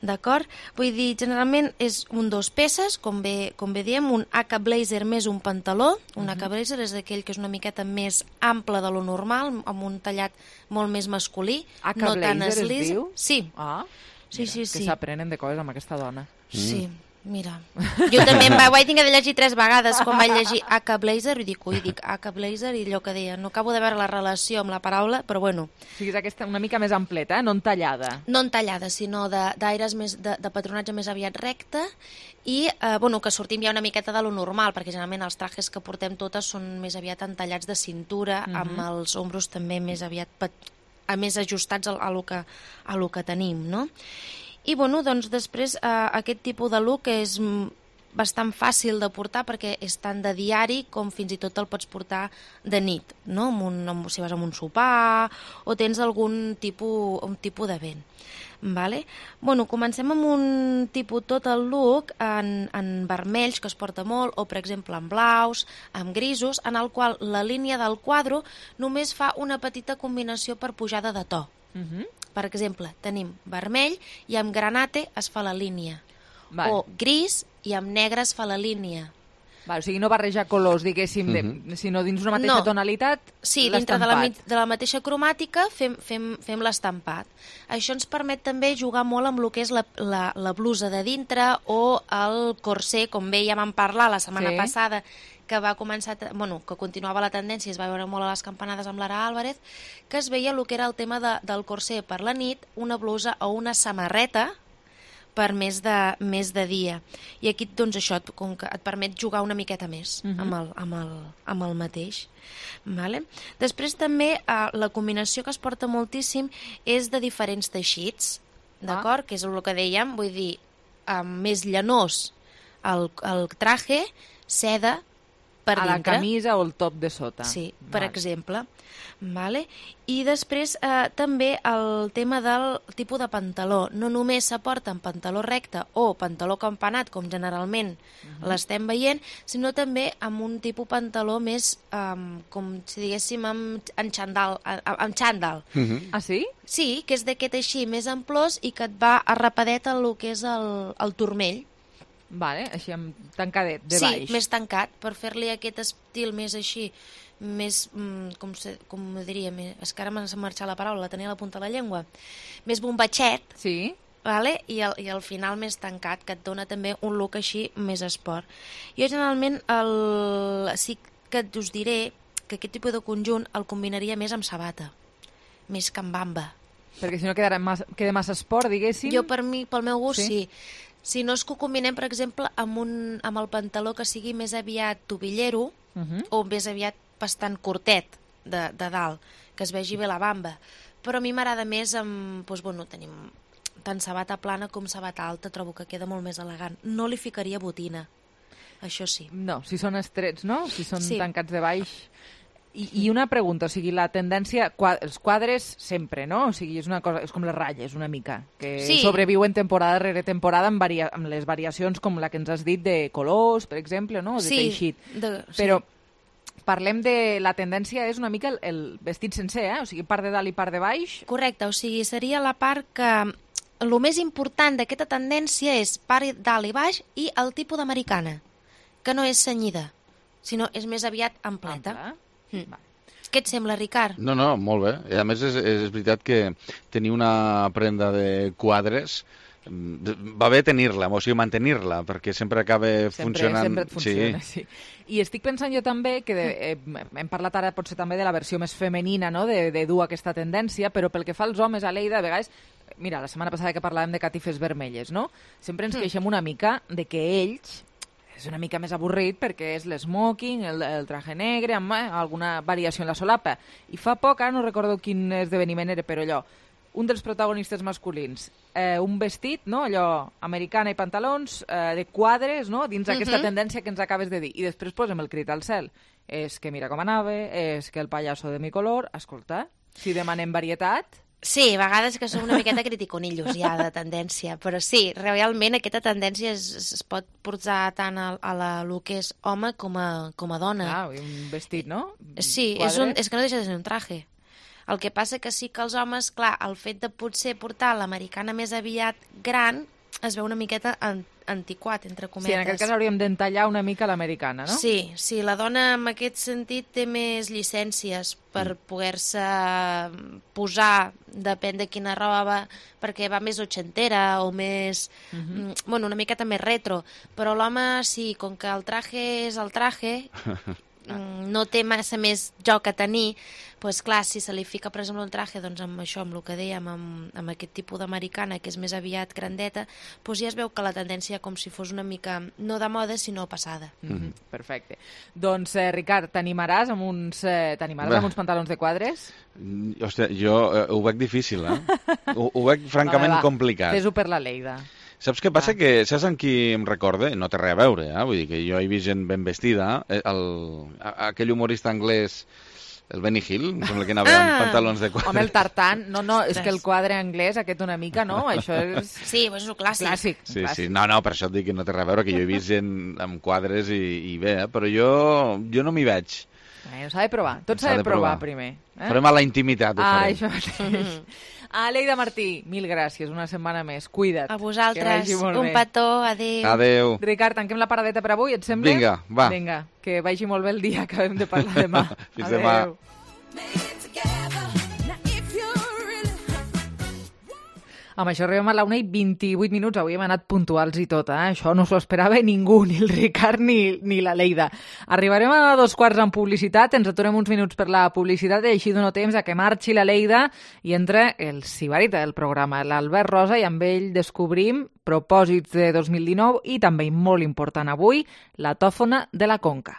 D'acord? Vull dir, generalment és un dos peces, com bé, com bé diem, un Aka Blazer més un pantaló. Un uh-huh. Aka Blazer és aquell que és una miqueta més ample de lo normal, amb un tallat molt més masculí. Aka no tan Blazer eslis. es diu? Sí. Ah, sí, mira, sí, sí. que s'aprenen de coses amb aquesta dona. Sí. Mira, jo també em va, ho vaig tinc de llegir tres vegades quan vaig llegir Aka Blazer i dic, ui, dic Aka Blazer i allò que deia, no acabo de veure la relació amb la paraula, però bueno. O sigui, és aquesta una mica més ampleta, eh? No entallada. No entallada, sinó d'aires més, de, de patronatge més aviat recte i, eh, bueno, que sortim ja una miqueta de lo normal, perquè generalment els trajes que portem totes són més aviat entallats de cintura, uh-huh. amb els ombros també més aviat, a més ajustats a, a, lo que, a lo que tenim, no? I, bueno, doncs després eh, aquest tipus de look és bastant fàcil de portar perquè és tant de diari com fins i tot el pots portar de nit, no? Amb un, amb, si vas a un sopar o tens algun tipus, un tipus d'event. Vale? Bueno, comencem amb un tipus tot el look en, en vermells, que es porta molt, o per exemple en blaus, amb grisos, en el qual la línia del quadre només fa una petita combinació per pujada de to. Uh-huh. Per exemple, tenim vermell i amb granate es fa la línia. Val. O gris i amb negre es fa la línia. Val, o sigui, no barrejar colors, diguéssim, uh-huh. de, sinó dins una mateixa no. tonalitat, sí, dintre de la, de la mateixa cromàtica fem, fem, fem l'estampat. Això ens permet també jugar molt amb el que és la, la, la blusa de dintre o el corset, com bé ja vam parlar la setmana sí. passada, que va començar, bueno, que continuava la tendència, es va veure molt a les campanades amb l'Ara Álvarez, que es veia el que era el tema de, del corset per la nit, una blusa o una samarreta per més de, més de dia. I aquí, doncs, això com que et permet jugar una miqueta més uh-huh. amb, el, amb, el, amb el mateix. Vale? Després també eh, la combinació que es porta moltíssim és de diferents teixits, d'acord? Ah. Que és el que dèiem, vull dir, eh, més llanós el, el traje, seda, per a dintre. la camisa o el top de sota. Sí, per Vale. exemple. Vale? I després eh, també el tema del tipus de pantaló. No només s'aporta en pantaló recte o pantaló campanat, com generalment Mhm. l'estem veient, sinó també amb un tipus pantaló més, um, com si diguéssim, amb, amb xandall. Amb, amb xandall. Ah, sí? Sí, que és d'aquest així, més amplós i que et va arrapadet el que és el, el turmell. Vale, així amb tancadet, de sí, baix. més tancat, per fer-li aquest estil més així, més, mm, com, se, com ho diria, més, és que ara m'ha marxat la paraula, la tenia a la punta de la llengua, més bombatxet, sí. vale? I, al, i al final més tancat, que et dona també un look així més esport. Jo generalment el, sí que us diré que aquest tipus de conjunt el combinaria més amb sabata, més que amb bamba. Perquè si no quedarà massa, queda massa esport, diguéssim. Jo, per mi, pel meu gust, Sí? sí. Si no és que ho combinem, per exemple, amb, un, amb el pantaló que sigui més aviat tobillero Uh -huh. o més aviat bastant curtet de, de dalt, que es vegi bé la bamba. Però a mi m'agrada més amb, doncs, bueno, tenim tant sabata plana com sabata alta, trobo que queda molt més elegant. No li ficaria botina, això sí. No, si són estrets, no? Si són Sí. tancats de baix. I, I una pregunta, o sigui, la tendència... Qua, els quadres sempre, no? O sigui, és una cosa, és com les ratlles, una mica, que Sí. sobreviuen temporada rere temporada amb, varia, amb les variacions com la que ens has dit de colors, per exemple, no? O de Sí, teixit. de- sí. Però parlem de... La tendència és una mica el, el vestit sencer, eh? O sigui, part de dalt i part de baix. Correcte, o sigui, seria la part que... El més important d'aquesta tendència és part dalt i baix i el tipus d'americana, que no és cenyida, sinó és més aviat ampleta. Ample. Mm. Què et sembla, Ricard? No, no, molt bé. I a més és, és veritat que tenir una prenda de quadres mm, va bé tenir-la, o sigui, mantenir-la, perquè sempre acaba Sempre, funcionant. sempre et funciona, sí. sí. I estic pensant jo també que de, eh, hem parlat ara potser també de la versió més femenina, no?, de, de dur aquesta tendència, però pel que fa als homes, a Leida, a vegades... Mira, la setmana passada que parlàvem de catifes vermelles, no? Sempre ens Mm. queixem una mica de que ells... És una mica més avorrit perquè és l'esmoking, el, el traje negre, amb eh, alguna variació en la solapa. I fa poc, ara no recordo quin esdeveniment era, però allò, un dels protagonistes masculins, eh, un vestit, no?, allò, americana i pantalons, eh, de quadres, no?, dins d'aquesta Mhm. tendència que ens acabes de dir. I després posem el crit al cel. És que mira com anava, és que el pallasso de mi color... Escolta, si demanem varietat... Sí, a vegades que som una miqueta criticonillos ja de tendència, però sí, realment aquesta tendència es, es pot portar tant a, a la, el que és home com a, com a dona. Ah, un vestit, no? Sí, és, un, és que no deixa de ser un traje. El que passa que sí que els homes, clar, el fet de potser portar l'americana més aviat gran es veu una miqueta an antiquat, entre cometes. Sí, en aquest cas hauríem d'entallar una mica l'americana, no? Sí, sí, la dona en aquest sentit té més llicències per mm. poder-se posar, depèn de quina roba, perquè va més ochentera o més, Mhm. mm -hmm. bueno, una miqueta més retro, però l'home sí, com que el traje és el traje, mm, no té massa més joc a tenir, doncs clar, si se li fica, per exemple, un traje, doncs amb això, amb el que dèiem, amb, amb aquest tipus d'americana, que és més aviat grandeta, doncs ja es veu que la tendència com si fos una mica, no de moda, sinó passada. Mm -hmm. Perfecte. Doncs, eh, Ricard, t'animaràs amb uns, eh, t'animaràs Bé. amb uns pantalons de quadres? Hòstia, jo eh, ho veig difícil, eh? ho, ho veig francament Va, va, va. complicat. Fes-ho per la Leida. Saps què passa? Que saps amb qui em recorde? No té res a veure, eh? Vull dir que jo he vist gent ben vestida. Eh, El, a- aquell humorista anglès, el Benny Hill, em sembla que anava amb Ah! pantalons de quadres. Home, el tartan, no, no, és que el quadre anglès, aquest una mica, no? Això és... Sí, doncs és un clàssic. Clàssic. Sí, clàssic. sí, no, no, per això et dic que no té res a veure, que jo he vist gent amb quadres i, i bé, eh? Però jo, jo no m'hi veig. Eh, s'ha de provar, tot s'ha de, de provar, primer. Eh? Farem a la intimitat, ho Ah, farem. això mateix. Ah, Leida Martí, mil gràcies, una setmana més. Cuida't. A Que vosaltres, vagi molt un bé. petó, adéu. Adéu. Ricard, tanquem la paradeta per avui, et sembla? Vinga, va. Vinga, que vagi molt bé el dia, acabem de parlar demà. Fins demà. Adéu. Amb això arribem a la una i vint-i-vuit minuts. Avui hem anat puntuals i tot, eh? Això no s'ho esperava ningú, ni el Ricard ni, ni la Leida. Arribarem a dos quarts en publicitat, ens aturem uns minuts per la publicitat i així dono temps a que marxi la Leida i entre el sibarita del programa, l'Albert Rosa, i amb ell descobrim propòsits de dos mil dinou i també, molt important avui, la tòfona de la Conca.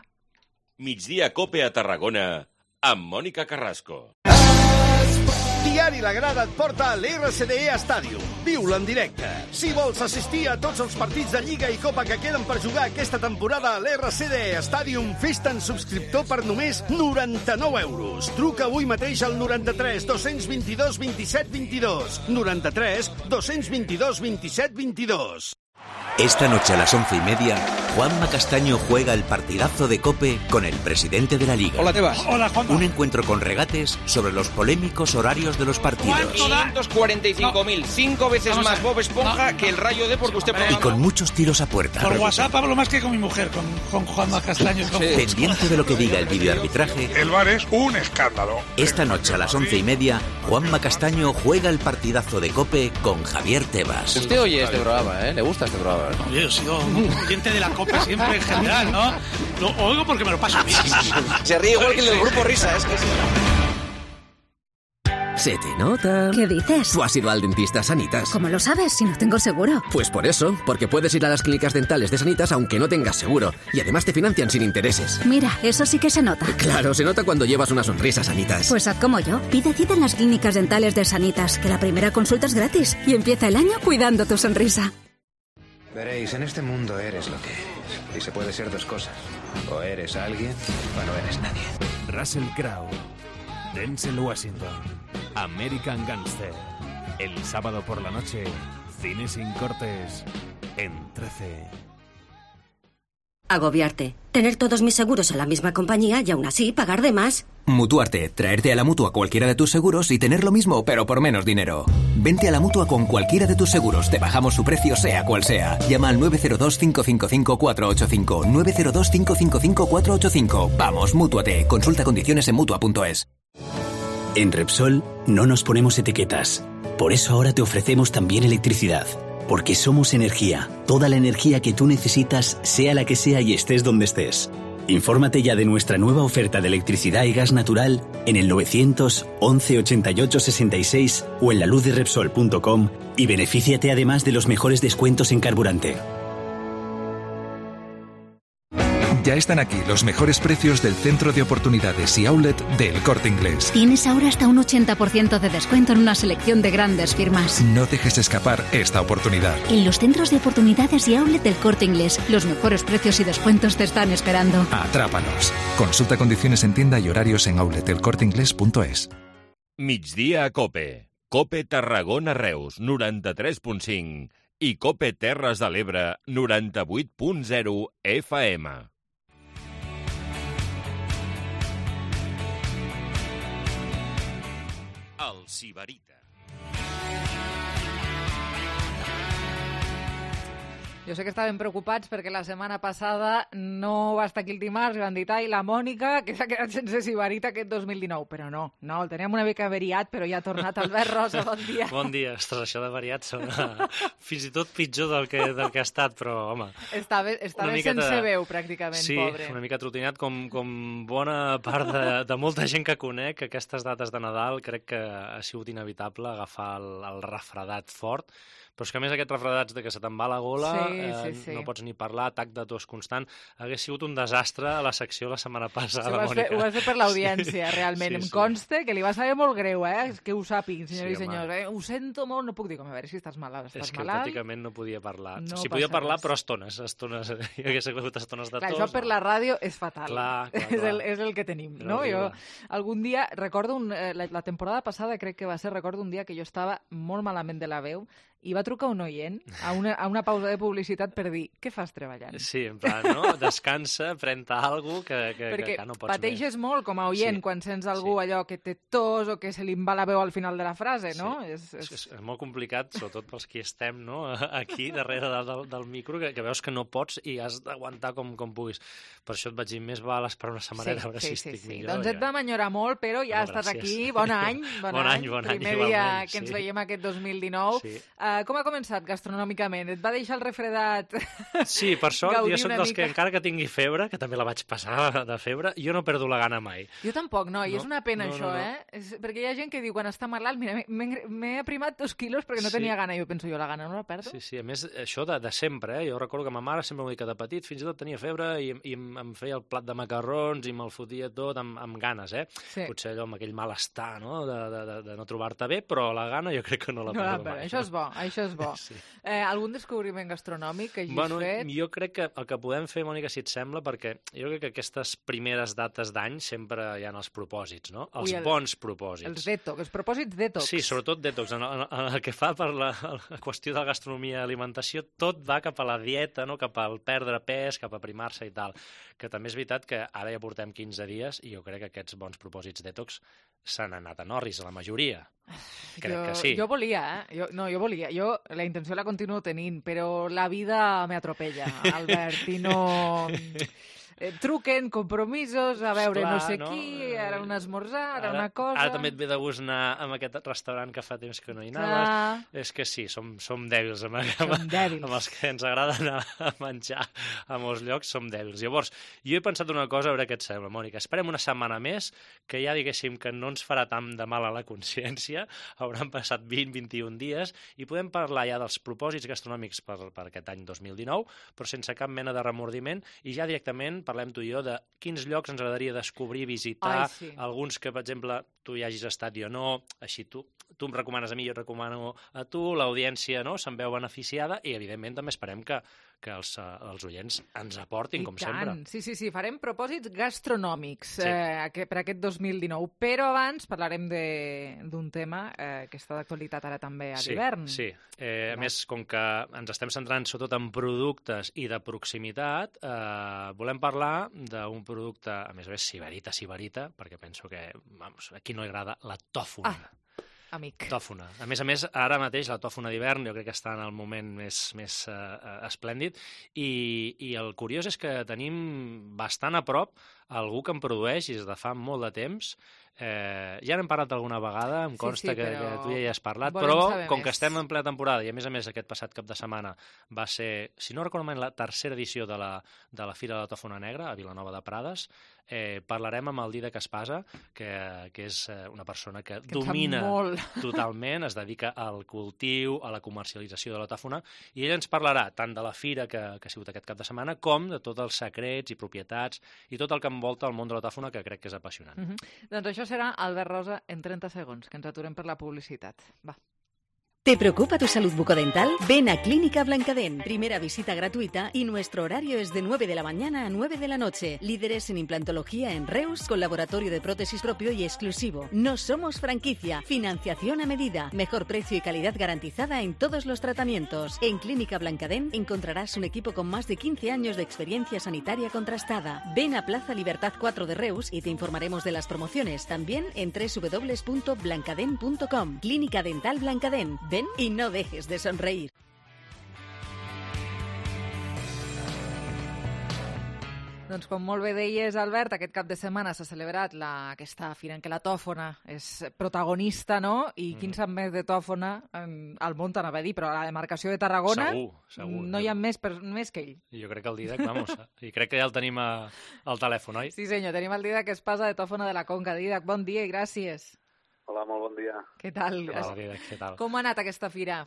Migdia Cope a Tarragona amb Mònica Carrasco. Es pot dir Diari La Grada et porta a l'R C D E Stadium. Viu-lo en directe. Si vols assistir a tots els partits de Lliga i Copa que queden per jugar aquesta temporada a l'R C D E Stadium, fes-te'n subscriptor per només noranta-nou euros. Truca avui mateix al noranta-tres dos-cents vint-i-dos vint-i-set vint-i-dos. noranta-tres dos-cents vint-i-dos vint-i-set vint-i-dos. Esta noche a las once y media, Juanma Castaño juega el partidazo de COPE con el presidente de la Liga. Hola, Tebas. Hola, Juanma. Un encuentro con regates sobre los polémicos horarios de los partidos. quinientos cuarenta y cinco mil, no. cinco veces Vamos más Bob Esponja no. que el Rayo Depor que usted programa. Y con muchos tiros a puerta. Por WhatsApp hablo más que con mi mujer, con, con Juanma Castaño. Con... Sí. Pendiente de lo que diga el videoarbitraje. El V A R es un escándalo. Esta noche a las once y media, Juanma Castaño juega el partidazo de COPE con Javier Tebas. Usted oye este programa, ¿eh? ¿Le gusta este programa? Oye, yo he sido un oyente de la Copa siempre en general, ¿no? Lo oigo porque me lo paso bien. Se ríe igual que el del grupo Risa, es que sí. Se te nota. ¿Qué dices? Tú has ido al dentista Sanitas. ¿Cómo lo sabes si no tengo seguro? Pues por eso, porque puedes ir a las clínicas dentales de Sanitas aunque no tengas seguro. Y además te financian sin intereses. Mira, eso sí que se nota. Claro, se nota cuando llevas una sonrisa, Sanitas. Pues haz como yo. Pide cita en las clínicas dentales de Sanitas, que la primera consulta es gratis. Y empieza el año cuidando tu sonrisa. Veréis, en este mundo eres lo que eres. Y se puede ser dos cosas. O eres alguien o no eres nadie. Russell Crowe, Denzel Washington, American Gangster. El sábado por la noche, cine sin cortes en trece. Agobiarte. Tener todos mis seguros en la misma compañía y aún así pagar de más. Mutuarte. Traerte a la Mutua cualquiera de tus seguros y tener lo mismo, pero por menos dinero. Vente a la Mutua con cualquiera de tus seguros. Te bajamos su precio, sea cual sea. Llama al nueve cero dos, cinco cinco cinco, cuatro ocho cinco. nueve cero dos, cinco cinco cinco, cuatro ocho cinco. Vamos, Mútuate. Consulta condiciones en Mutua punto es. En Repsol no nos ponemos etiquetas. Por eso ahora te ofrecemos también electricidad. Porque somos energía, toda la energía que tú necesitas, sea la que sea y estés donde estés. Infórmate ya de nuestra nueva oferta de electricidad y gas natural en el novecientos once ochenta y ocho sesenta y seis o en la luz de repsol punto com y benefíciate además de los mejores descuentos en carburante. Ya están aquí los mejores precios del centro de oportunidades y outlet del Corte Inglés. Tienes ahora hasta un ochenta por ciento de descuento en una selección de grandes firmas. No dejes escapar esta oportunidad. En los centros de oportunidades y outlet del Corte Inglés, los mejores precios y descuentos te están esperando. Atrápanos. Consulta condiciones en tienda y horarios en outlet el corte inglés punto es. Migdia a Cope. Cope Tarragona Reus, noranta-tres punt cinc. I Cope Terres de l'Ebre, noranta-vuit punt zero F M. El Sibarita. Jo sé que estaven preocupats perquè la setmana passada no va estar aquí el dimarts, van dir, i la Mònica, que s'ha quedat sense Sibarita aquest dos mil dinou. Però no, no, el teníem una mica averiat, però ja ha tornat Albert Rosa, bon dia. Bon dia. Ostres, això d'averiat sona fins i tot pitjor del que, del que ha estat, però, home... Estava, estava sense de... veu, pràcticament, sí, pobre. Sí, una mica trotinat, com, com bona part de, de molta gent que conec, aquestes dates de Nadal crec que ha sigut inevitable agafar el, el refredat fort. Però és que a més aquest refredats de que se te'n va la gola, sí, eh, sí, sí. no pots ni parlar, atac de tos constant, hagués sigut un desastre a la secció la setmana passada, sí, ho Mònica. Fer, ho vas fer per l'audiència, sí, realment. Sí, em sí. consta que li va saber molt greu, eh? Que ho sàpiguin, senyors sí, i senyors. Eh? Ho sento molt, no puc dir com, a veure si estàs malalt. Estàs és que malalt? pràcticament no podia parlar. No sí, podia parlar, res. però estones. estones hi hagués hagut estones de clar, tos. Això per no. la ràdio és fatal. Clar, clar, és, clar. el, és el que tenim, no? Jo algun dia, recordo, un, la, la temporada passada crec que va ser, recordo un dia que jo estava molt malament de la veu i va trucar un oient a una, a una pausa de publicitat per dir, què fas treballant? Sí, en plan, no? Descansa, pren-te alguna cosa que, que, perquè que, que no pots pateixes més. molt com a oient sí. quan sents algú sí. allò que té tos o que se li va la veu al final de la frase, no? Sí. És, és... És, és molt complicat, sobretot pels qui estem no? aquí darrere del, del, del micro, que, que veus que no pots i has d'aguantar com, com puguis. Per això et vaig dir, més val esperar una setmaneta sí, a veure sí, si sí, estic sí. millor. Doncs et vam enyorar molt, però ja no, estàs gràcies. aquí. Bon any, bon, bon any, any. Bon Primer any, dia igualment, que ens sí. veiem aquest dos mil dinou. Sí. Uh, Uh, com ha començat gastronòmicament? Et va deixar el refredat? Sí, per sort, jo soc dels mica. que encara que tingui febre, que també la vaig passar de febre, jo no perdo la gana mai. Jo tampoc, no, i No, és una pena no, això, no, no. eh? És, perquè hi ha gent que diu, quan està malalt, mira, m'he m'he aprimat dos quilos perquè no Sí. tenia gana. Jo penso, jo la gana no la perdo. Sí, sí, a més, això de, de sempre, eh? Jo recordo que ma mare sempre m'ho dic que de petit fins i tot tenia febre i, i em, em feia el plat de macarrons i me'l fotia tot amb, amb ganes, eh? Sí. Potser allò amb aquell malestar, no?, de, de, de, de no trobar-te bé, però la gana jo crec que no la No la perdo perdo. mai. Això és bo, això és bo. Sí. Eh, algun descobriment gastronòmic que hagis Bueno, fet? jo crec que el que podem fer, Mònica, si et sembla, perquè jo crec que aquestes primeres dates d'any sempre hi ha els propòsits, no? Els Ui, el- bons propòsits. Els detox, els propòsits detox. Sí, sobretot detox. En, en, en el que fa per la, la qüestió de gastronomia i alimentació, tot va cap a la dieta, no? Cap al perdre pes, cap a primar-se i tal. Que també és veritat que ara ja portem quinze dies i jo crec que aquests bons propòsits detox s'han anat a Norris, a la majoria. Crec jo, que sí. Jo volia, eh? Jo, no, jo volia. Jo la intenció la continuo tenint, però la vida me atropella, Albert, i no... Eh, truquen, compromisos, a veure Esclar, no sé no? qui, ara un esmorzar, ara, Ara, una cosa... ara també et ve de gust anar a aquest restaurant que fa temps que no hi Clar. anaves. És que sí, som, som dèbils. Amb, amb, dèbils. amb els que ens agrada anar a menjar a molts llocs, som dèbils. Llavors, jo he pensat una cosa, a veure què et sembla, Mònica. Esperem una setmana més, que ja diguéssim que no ens farà tant de mal a la consciència, hauran passat vint a vint-i-un dies, i podem parlar ja dels propòsits gastronòmics per, per aquest any dos mil dinou, però sense cap mena de remordiment, i ja directament parlem tu i jo de quins llocs ens agradaria descobrir, visitar, Ai, sí. alguns que, per exemple, tu hi hagis estat i jo no, així tu, tu em recomanes a mi, jo et recomano a tu, l'audiència no, se'n veu beneficiada i, evidentment, també esperem que, que els, eh, els oients ens aportin, I com tant. sempre. Sí, sí, sí, farem propòsits gastronòmics Sí. eh, aquest- per aquest dos mil dinou, però abans parlarem de- d'un tema eh, que està d'actualitat ara també a Sí, l'hivern. sí. Eh, a més, com que ens estem centrant sobretot en productes i de proximitat, eh, volem parlar d'un producte, a més a més, sibarita, sibarita, perquè penso que, vamos, a qui no li agrada la tòfona. Ah, amic. Tòfona. A més a més, ara mateix la tòfona d'hivern jo crec que està en el moment més, més uh, esplèndid i, i el curiós és que tenim bastant a prop algú que en produeix i des de fa molt de temps. Eh, ja n'hem parlat alguna vegada, em Sí, consta sí, que, però que tu ja hi has parlat, volem però saber com més. que estem en plena temporada i a més a més aquest passat cap de setmana va ser, si no recordo malament, la tercera edició de la, de la Fira de la Tòfona Negra a Vilanova de Prades, eh, parlarem amb el Didac Espasa, que, que és eh, una persona que, Que en sap domina molt. totalment, es dedica al cultiu, a la comercialització de la tòfona, i ell ens parlarà tant de la fira que, que ha sigut aquest cap de setmana, com de tots els secrets i propietats i tot el que envolta el món de la tòfona, que crec que és apassionant. Uh -huh. Doncs això serà Albert Rosa en trenta segons, que ens aturem per la publicitat. Va. ¿Te preocupa tu salud bucodental? Ven a Clínica Blancadén. Primera visita gratuita y nuestro horario es de nueve de la mañana a nueve de la noche. Líderes en implantología en Reus, con laboratorio de prótesis propio y exclusivo. No somos franquicia. Financiación a medida. Mejor precio y calidad garantizada en todos los tratamientos. En Clínica Blancadén encontrarás un equipo con más de quince años de experiencia sanitaria contrastada. Ven a Plaza Libertad cuatro de Reus y te informaremos de las promociones. También en doble u doble u doble u punto blancadén punto com. Clínica Dental Blancadén. Ven y no dejes de sonreír. Doncs com molt bé deies, Albert, aquest cap de setmana s'ha celebrat la, aquesta fira en què la tòfona és protagonista, no? I mm. quin sap més de tòfona en, al món, t'anava a dir, però a la demarcació de Tarragona Segur, segur. no hi ha més, per, més que ell. Jo crec que el Didac, vamos, i crec que ja el tenim a, al telèfon, oi? Sí, senyor, tenim el Didac Espasa de Tòfona de la Conca. Didac, bon dia i gràcies. Hola, molt bon dia. Què tal? Hola, Didac, què tal? Com ha anat aquesta fira?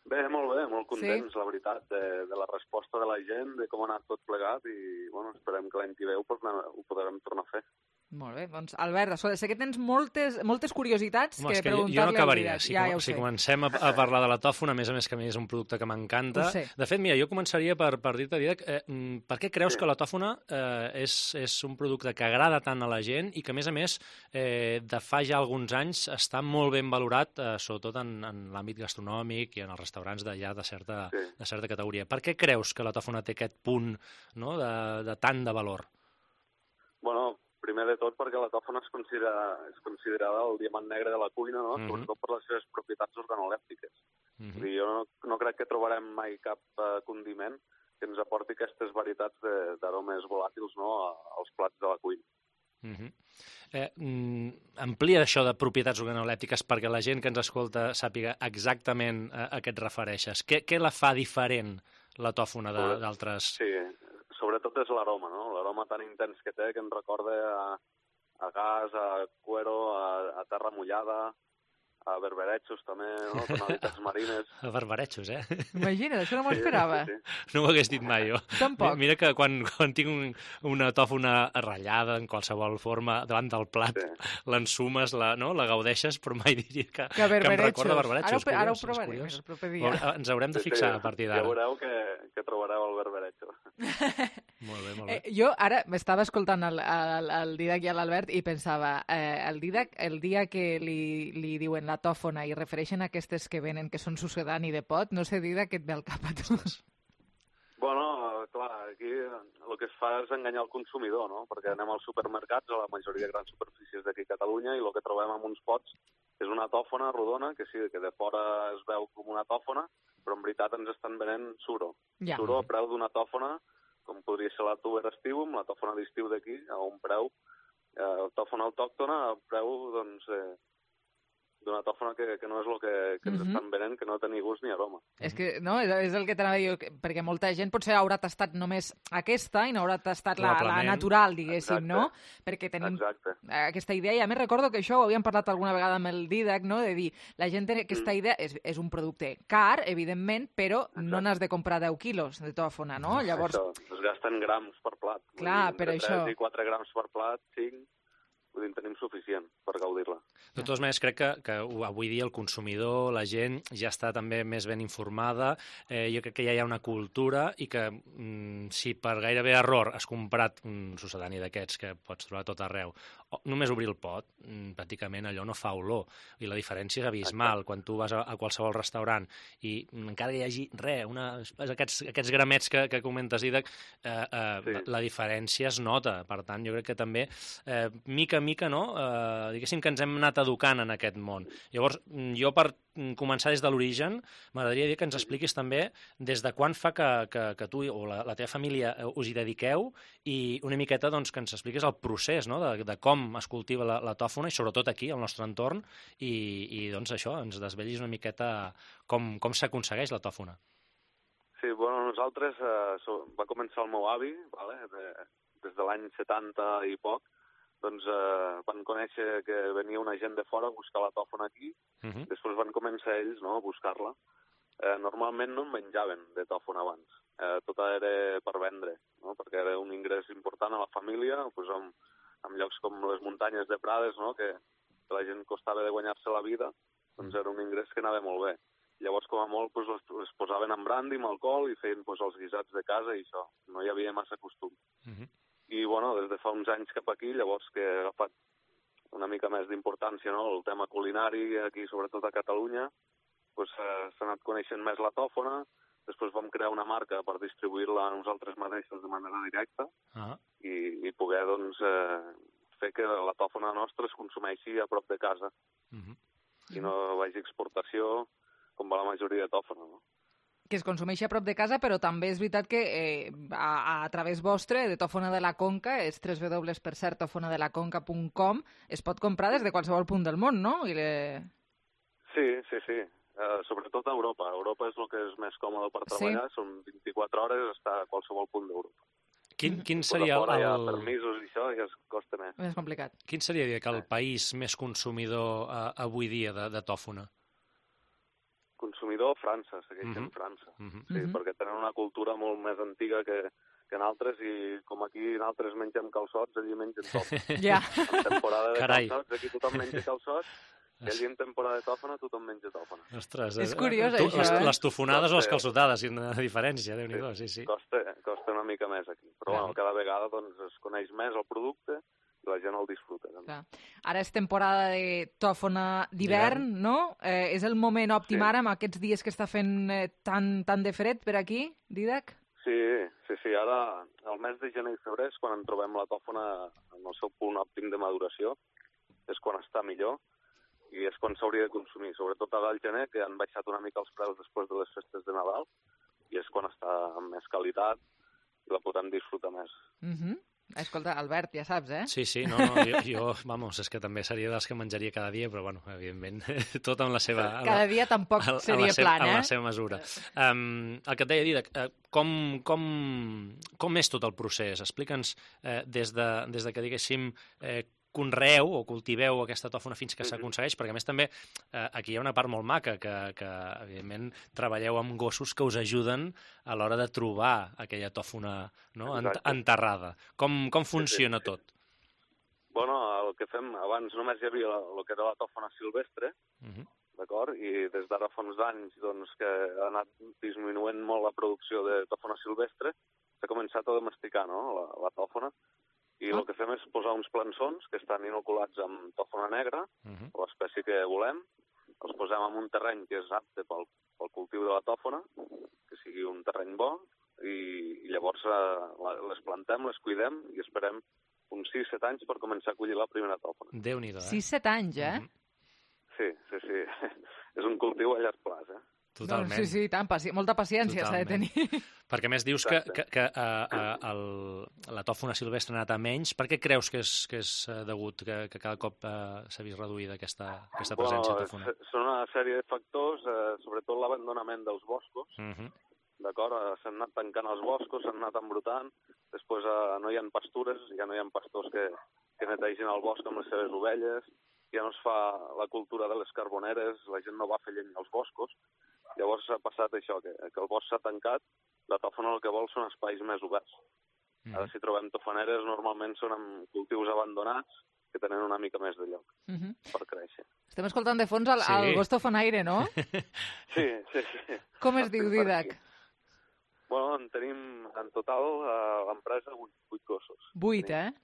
Bé, molt bé, molt contents, Sí? la veritat, de, de la resposta de la gent, de com ha anat tot plegat i, bueno, esperem que l'any que ve ho, podrem, ho podrem tornar a fer. Molt bé, doncs Albert, escolta, sé que tens moltes, moltes curiositats Home, que és que jo, preguntar-li jo no al acabaria. Didac. Si, ja, com, ja ho si sé. comencem a, a parlar de la tòfona, a més a més que a mi és un producte que m'encanta. Ho sé. De fet, mira, jo començaria per, per dir-te, Didac, eh, mm, per què creus sí. que la tòfona eh, és, és un producte que agrada tant a la gent i que, a més a més, eh, de fa ja alguns anys està molt ben valorat, eh, sobretot en, en l'àmbit gastronòmic i en els restaurants de ja de certa, Sí. de certa categoria. Per què creus que la tòfona té aquest punt, no?, de, de tant de valor? Bueno, primer de tot perquè la tòfona és, considera, és considerada el diamant negre de la cuina, no? Mhm. Sobretot per les seves propietats organolèptiques. Mhm. Vull dir, jo no, no crec que trobarem mai cap uh, condiment que ens aporti aquestes varietats de- d'aromes volàtils, no?, a- als plats de la cuina. Uh-huh. eh, mm, amplia això de propietats organolèptiques perquè la gent que ens escolta sàpiga exactament a, a què et refereixes. Què, què la fa diferent, la tòfona, d'altres? Sí, sobretot és l'aroma, no? L'aroma tan intens que té que ens recorda a, a gas, a cuero, a, a terra mullada, a berberechos també, no? Tonalitats marines. A berberechos, eh? Imagina't, això no m'ho esperava. Sí, sí, sí. No m'ho hagués dit mai, jo. Tampoc. Mira que quan, quan tinc un, una tòfona ratllada en qualsevol forma davant del plat, sí. l'ensumes, la, no? la gaudeixes, però mai diria que, que, que em recorda berberechos. Ara, ara ho provarem el proper dia. Ens haurem de fixar sí, sí. a partir d'ara. Ja veureu que, que trobareu el berberecho. Molt bé, molt bé. Eh, jo ara m'estava escoltant el, el, el Didac i l'Albert i pensava, eh, el Didac, el dia que li, li diuen la tòfona i refereixen a aquestes que venen, que són sucedani de pot, no sé, Didac, què et ve al cap a tu? Bueno, clar, aquí el que es fa és enganyar el consumidor, no? Perquè anem als supermercats, a la majoria de grans superfícies d'aquí a Catalunya, i el que trobem en uns pots és una tòfona rodona, que sí, que de fora es veu com una tòfona, però en veritat ens estan venent suro. Ja. Suro a preu d'una tòfona, com podria ser la tuber estivum, la tòfona d'estiu d'aquí, a un preu, eh, tòfona autòctona, a preu, doncs, eh, d'una tòfona que, que no és el que, que ens Mhm. estan venent, que no té ni gust ni aroma. És que, no, és, és el que t'anava a dir, que- perquè molta gent potser haurà tastat només aquesta i no haurà tastat la, la Probablement. natural, diguéssim, Exacte. no? Perquè tenim Exacte. aquesta idea, i a més recordo que això ho havíem parlat alguna vegada amb el Didac, no? De dir, la gent té Mm. aquesta idea, és, és un producte car, evidentment, però no n'has de comprar deu quilos de tòfona, no? Llavors, Això, es gasten grams per plat. Vull Clar, dir, per entre això. tres i quatre grams per plat, cinc, vull dir, en tenim suficient per gaudir-la. De totes maneres, crec que, que avui dia el consumidor, la gent, ja està també més ben informada. Eh, jo crec que ja hi ha una cultura i que mm, si per gairebé error has comprat un sucedani d'aquests que pots trobar a tot arreu, o només obrir el pot, mm, pràcticament allò no fa olor. I la diferència és abismal. Quan tu vas a, a qualsevol restaurant i mm, encara que hi hagi res, una, aquests, aquests gramets que, que comentes, Didac, eh, eh, sí. la, la diferència es nota. Per tant, jo crec que també, eh, mica a mica, no? eh, diguéssim que ens hem anat educant en aquest món. Llavors, mm, jo per mm, començar des de l'origen, m'agradaria dir que ens expliquis també des de quan fa que, que, que tu o la, la teva família eh, us hi dediqueu i una miqueta doncs, que ens expliquis el procés, no? de, de com es cultiva la, la tòfona i sobretot aquí, al nostre entorn, i, i doncs això, ens desvellis una miqueta com, com s'aconsegueix la tòfona. Sí, bueno, nosaltres, eh, so, va començar el meu avi, vale? de, des de l'any setanta i poc, doncs eh, van conèixer que venia una gent de fora a buscar la tòfona aquí, Uh -huh. després van començar ells, no?, a buscar-la. Eh, normalment no en menjaven de tòfona abans, eh, tota era per vendre, no?, perquè era un ingrés important a la família, doncs en, en llocs com les muntanyes de Prades, no?, que, que la gent costava de guanyar-se la vida, doncs era un ingrés que anava molt bé. Llavors, com a molt, doncs, les, les posaven en brandi, amb alcohol, i feien doncs, els guisats de casa i això. No hi havia massa costum. Uh -huh. I, bueno, des de fa uns anys cap aquí, llavors que ha agafat una mica més d'importància, no?, el tema culinari aquí, sobretot a Catalunya, doncs eh, s'ha anat coneixent més la tòfona, després vam crear una marca per distribuir-la a nosaltres mateixos de manera directa Ah. i, i poder, doncs, eh, fer que la tòfona nostra es consumeixi a prop de casa Uh -huh. i no vagi a exportació com va la majoria de tòfona, no? que es consumeixi a prop de casa, però també és veritat que eh, a, a través vostre, de Tòfona de la Conca, és w w w per cert tòfona de la conca punt com, es pot comprar des de qualsevol punt del món, no? I le... Sí, sí, sí. Uh, sobretot a Europa. Europa és el que és més còmode per treballar, sí. Són vint-i-quatre hores, està a qualsevol punt d'Europa. Quin, quin Pues seria a fora el... hi ha permisos i això, i es costa més. És complicat. Quin seria dir, que el país més consumidor eh, avui dia de, de tòfona? Consumidor, França, segueix sent Mhm. França. Mhm. Sí, Mhm. perquè tenen una cultura molt més antiga que, que en altres, i com aquí en altres mengem calçots, allí mengen tòfona. Ja. En temporada de Carai. calçots, aquí tothom menja calçots, i allí en temporada de tòfona tothom menja tòfona. Ostres, És eh, curiós, tu, això, les, eh? les tofonades o les Costa- calçotades, quina diferència, Déu-n'hi-do, sí, sí. Costa, costa una mica més aquí, però Clar. bueno, cada vegada doncs, es coneix més el producte i la gent el disfruta. També. Clar. Ara és temporada de tòfona d'hivern, no? Eh, és el moment òptim Sí. ara, amb aquests dies que està fent eh, tan, tan de fred per aquí, Didac? Sí, sí, sí, ara el mes de gener i febrer és quan en trobem la tòfona en el seu punt òptim de maduració, és quan està millor i és quan s'hauria de consumir, sobretot ara al gener, que han baixat una mica els preus després de les festes de Nadal, i és quan està amb més qualitat i la podem disfrutar més. Uh -huh. Escolta, Albert, ja saps, eh? Sí, sí, no, no, jo, jo, vamos, és que també seria dels que menjaria cada dia, però, bueno, evidentment, tot amb la seva... Cada dia tampoc a, seria a seva, plan, eh? En la seva mesura. Um, el que et deia, Didac, uh, com, com, com és tot el procés? Explica'ns uh, des, de, des de que, diguéssim, uh, conreeu o cultiveu aquesta tòfona fins que s'aconsegueix, perquè a més també eh, aquí hi ha una part molt maca, que, que evidentment treballeu amb gossos que us ajuden a l'hora de trobar aquella tòfona, no? Ent enterrada. Com, com funciona sí, sí. tot? Bueno, el que fem, abans només hi havia el que era la tòfona silvestre, uh -huh. d'acord? I des d'ara fa uns anys doncs, que ha anat disminuint molt la producció de tòfona silvestre, s'ha començat a domesticar, no?, la, la tòfona. I el que fem és posar uns plançons que estan inoculats amb tòfona negra, uh -huh. o l'espècie que volem, els posem en un terreny que és apte pel, pel cultiu de la tòfona, que sigui un terreny bo, i, i llavors eh, les plantem, les cuidem i esperem uns sis set anys per començar a collir la primera tòfona. Déu-n'hi-do, eh? sis set anys, eh? Uh -huh. Sí, sí, sí. És un cultiu a llarg plaç, eh? Totalment. No, sí, sí, tant, paci molta paciència s'ha de tenir. Perquè, a més, dius que, que, que uh, uh, el, la tòfona silvestre ha anat a menys. Per què creus que és, que és uh, degut que, que cada cop uh, s'ha vist reduïda aquesta, aquesta presència bueno, de tòfona? Són una sèrie de factors, eh, sobretot l'abandonament dels boscos. Uh -huh. D'acord? S'han anat tancant els boscos, s'han anat embrutant, després eh, no hi ha pastures, ja no hi ha pastors que, que netegin el bosc amb les seves ovelles, ja no es fa la cultura de les carboneres, la gent no va fer llenya als boscos. Llavors ha passat això, que, que el bosc s'ha tancat, la tòfona el que vol són espais més oberts. Mm. Ara si trobem tofaneres normalment són amb cultius abandonats que tenen una mica més de lloc mm -hmm. per créixer. Estem escoltant de fons el, sí. el gos tofonaire, no? Sí, sí, sí. Com es diu, Didac? Bueno, en tenim en total a l'empresa vuit, vuit gossos. Vuit, tenim. eh?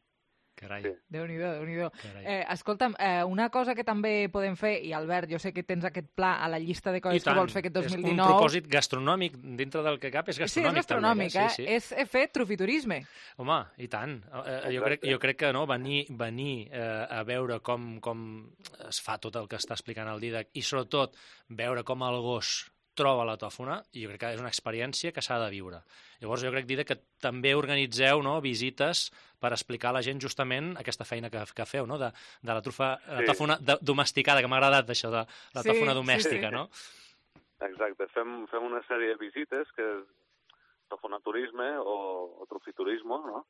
Carai. Sí. Déu-n'hi-do, Déu-n'hi-do. Eh, escolta'm, eh, una cosa que també podem fer, i Albert, jo sé que tens aquest pla a la llista de coses que vols fer aquest dos mil dinou... És un propòsit gastronòmic, dintre del que cap és gastronòmic. Sí, és gastronòmic, també, eh? Sí, sí. És fer trufiturisme. Home, i tant. Eh, jo, crec, jo crec que no, venir, venir eh, a veure com, com es fa tot el que està explicant el Didac, i sobretot veure com el gos troba la tòfona, i jo crec que és una experiència que s'ha de viure. Llavors jo crec, Didac, que també organitzeu, no, visites per explicar a la gent justament aquesta feina que, que feu, no? de, de la trufa, sí. la tòfona de, domesticada, que m'ha agradat això, de la sí, tòfona domèstica, sí. no? Exacte, fem, fem una sèrie de visites que és tofonaturisme o, o trufiturisme, no?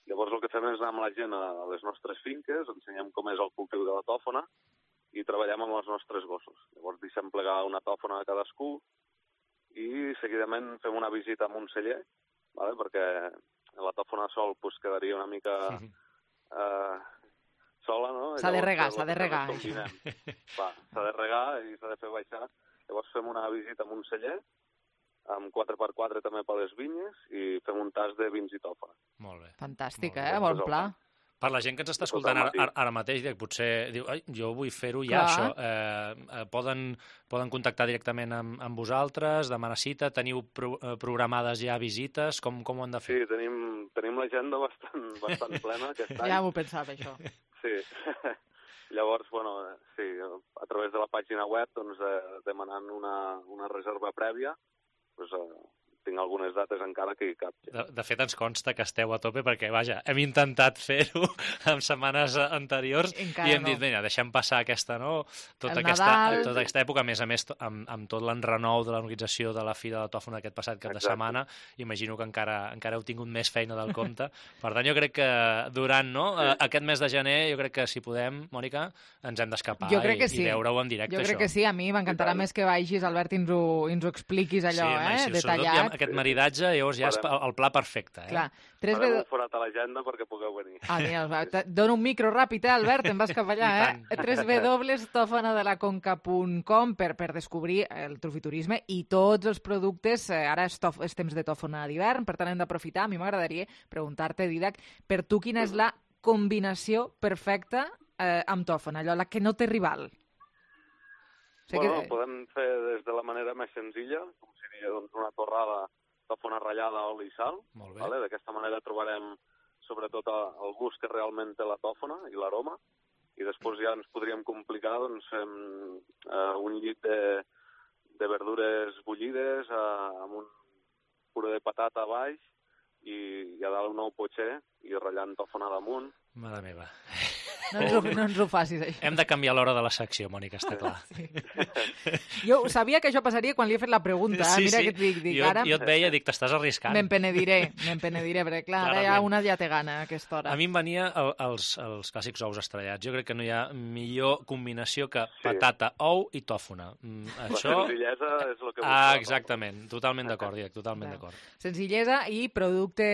Llavors el que fem és anar amb la gent a les nostres finques, ensenyem com és el cultiu de la tòfona i treballem amb els nostres gossos. Llavors deixem plegar una tòfona a cadascú i seguidament fem una visita amb un celler, vale? Perquè la tòfona sol pues, quedaria una mica eh, sola, no? S'ha de regar, s'ha de regar. S'ha de regar i s'ha de fer baixar. Llavors fem una visita amb un celler, amb quatre per quatre també per les vinyes, i fem un tas de vins i tòfona. Molt bé. Fantàstic, Molt bé. eh? Bon pla. Per la gent que ens està escoltant ara, ara mateix, potser diu, ai, jo vull fer-ho ja, això. Eh, poden, poden contactar directament amb, amb vosaltres, demanar cita, teniu pro, eh, programades ja visites, com, com ho han de fer? Sí, tenim, tenim l'agenda bastant, bastant plena aquest any. Ja m'ho pensava, això. Sí. Llavors, bueno, sí, a través de la pàgina web, doncs, eh, demanant una, una reserva prèvia, doncs, eh, tinc algunes dates encara que hi cap. De, de fet, ens consta que esteu a tope perquè, vaja, hem intentat fer-ho en setmanes anteriors encara i hem no. dit, vinga, deixem passar aquesta, no? Tota aquesta, tota aquesta època, a més a més, amb, amb tot l'enrenou de l'organització de la Fira de la Tòfona aquest passat cap Exacte. de setmana, imagino que encara encara heu tingut més feina del compte. Per tant, jo crec que durant no, sí. aquest mes de gener, jo crec que si podem, Mònica, ens hem d'escapar i, sí. i veure-ho en directe, jo crec això. que sí, a mi m'encantarà més que vagis, Albert, i ens ho, i ens ho expliquis allò, sí, eh, si detallat. Aquest maridatge, llavors ja és el pla perfecte. Eh? Clar. Farem un forat a l'agenda perquè pugueu venir. Ah, mira, dona un micro ràpid, eh, Albert, te'n vas cap allà, eh? w w w punt tòfona de la conca punt com per, per descobrir el trufiturisme i tots els productes. Ara és, tof, és temps de tòfona d'hivern, per tant hem d'aprofitar. A mi m'agradaria preguntar-te, Didac, per tu quina és la combinació perfecta eh, amb tòfona, allò, la que no té rival? Sé bueno, que... podem fer des de la manera més senzilla, com seria doncs, una torrada tòfona ratllada, oli i sal. Vale? D'aquesta manera trobarem sobretot el gust que realment té la tòfona i l'aroma. I després ja ens podríem complicar doncs, fem eh, un llit de, de verdures bullides eh, amb un puré de patata a baix i, i a dalt un ou potxer i ratllant tòfona damunt. Mare meva. No ens, ho, no ens ho facis, això. Hem de canviar l'hora de la secció, Mònica, està clar. Sí. Jo sabia que això passaria quan li he fet la pregunta. Sí, Mira sí. que et dic, dic jo, ara... jo et veia, dic, t'estàs arriscant. Me'n penediré, me'n penediré, perquè clar, ara ja una ja té gana a aquesta hora. A mi em venia el, els, els clàssics ous estrellats. Jo crec que no hi ha millor combinació que sí. patata, ou i tòfona. Mm, la això... senzillesa és el que busca. Ah, exactament. Totalment d'acord, Didac, totalment d'acord. Senzillesa i producte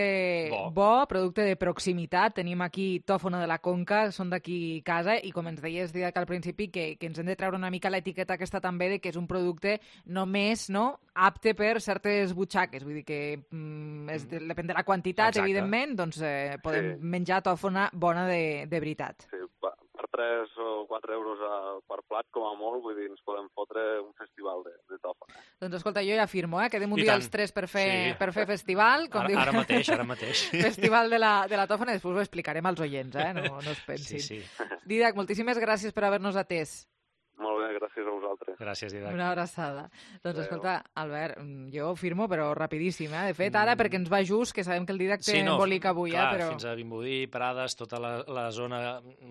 bo. bo, producte de proximitat. Tenim aquí tòfona de la Conca, són d'aquí casa, i com ens deies, Didac, al principi, que, que ens hem de treure una mica l'etiqueta aquesta també de que és un producte només no, apte per certes butxaques. Vull dir que mm, és, depèn de la quantitat, exacte. Evidentment, doncs eh, podem sí. menjar tòfona bona de, de veritat. Sí, per tres o quatre euros a, per plat, com a molt, vull dir, ens podem fotre un festival de, de tòfona. Doncs escolta, jo ja afirmo, eh? Quedem un I dia tant. els tres per fer, sí. per fer festival. Com ara, diu... ara mateix, ara mateix. Festival de la, de la tòfona, després ho explicarem als oients, eh? No, no es pensin. Sí, sí. Didac, moltíssimes gràcies per haver-nos atès. Molt bé, gràcies a vosaltres. Gràcies, Didac. Una abraçada. Doncs Adeu. Escolta, Albert, jo firmo, però rapidíssim, eh? De fet, ara, perquè ens va just, que sabem que el Didac té sí, no, embolic avui, clar, eh? Però... fins a Vimbodí, Prades, tota la, la zona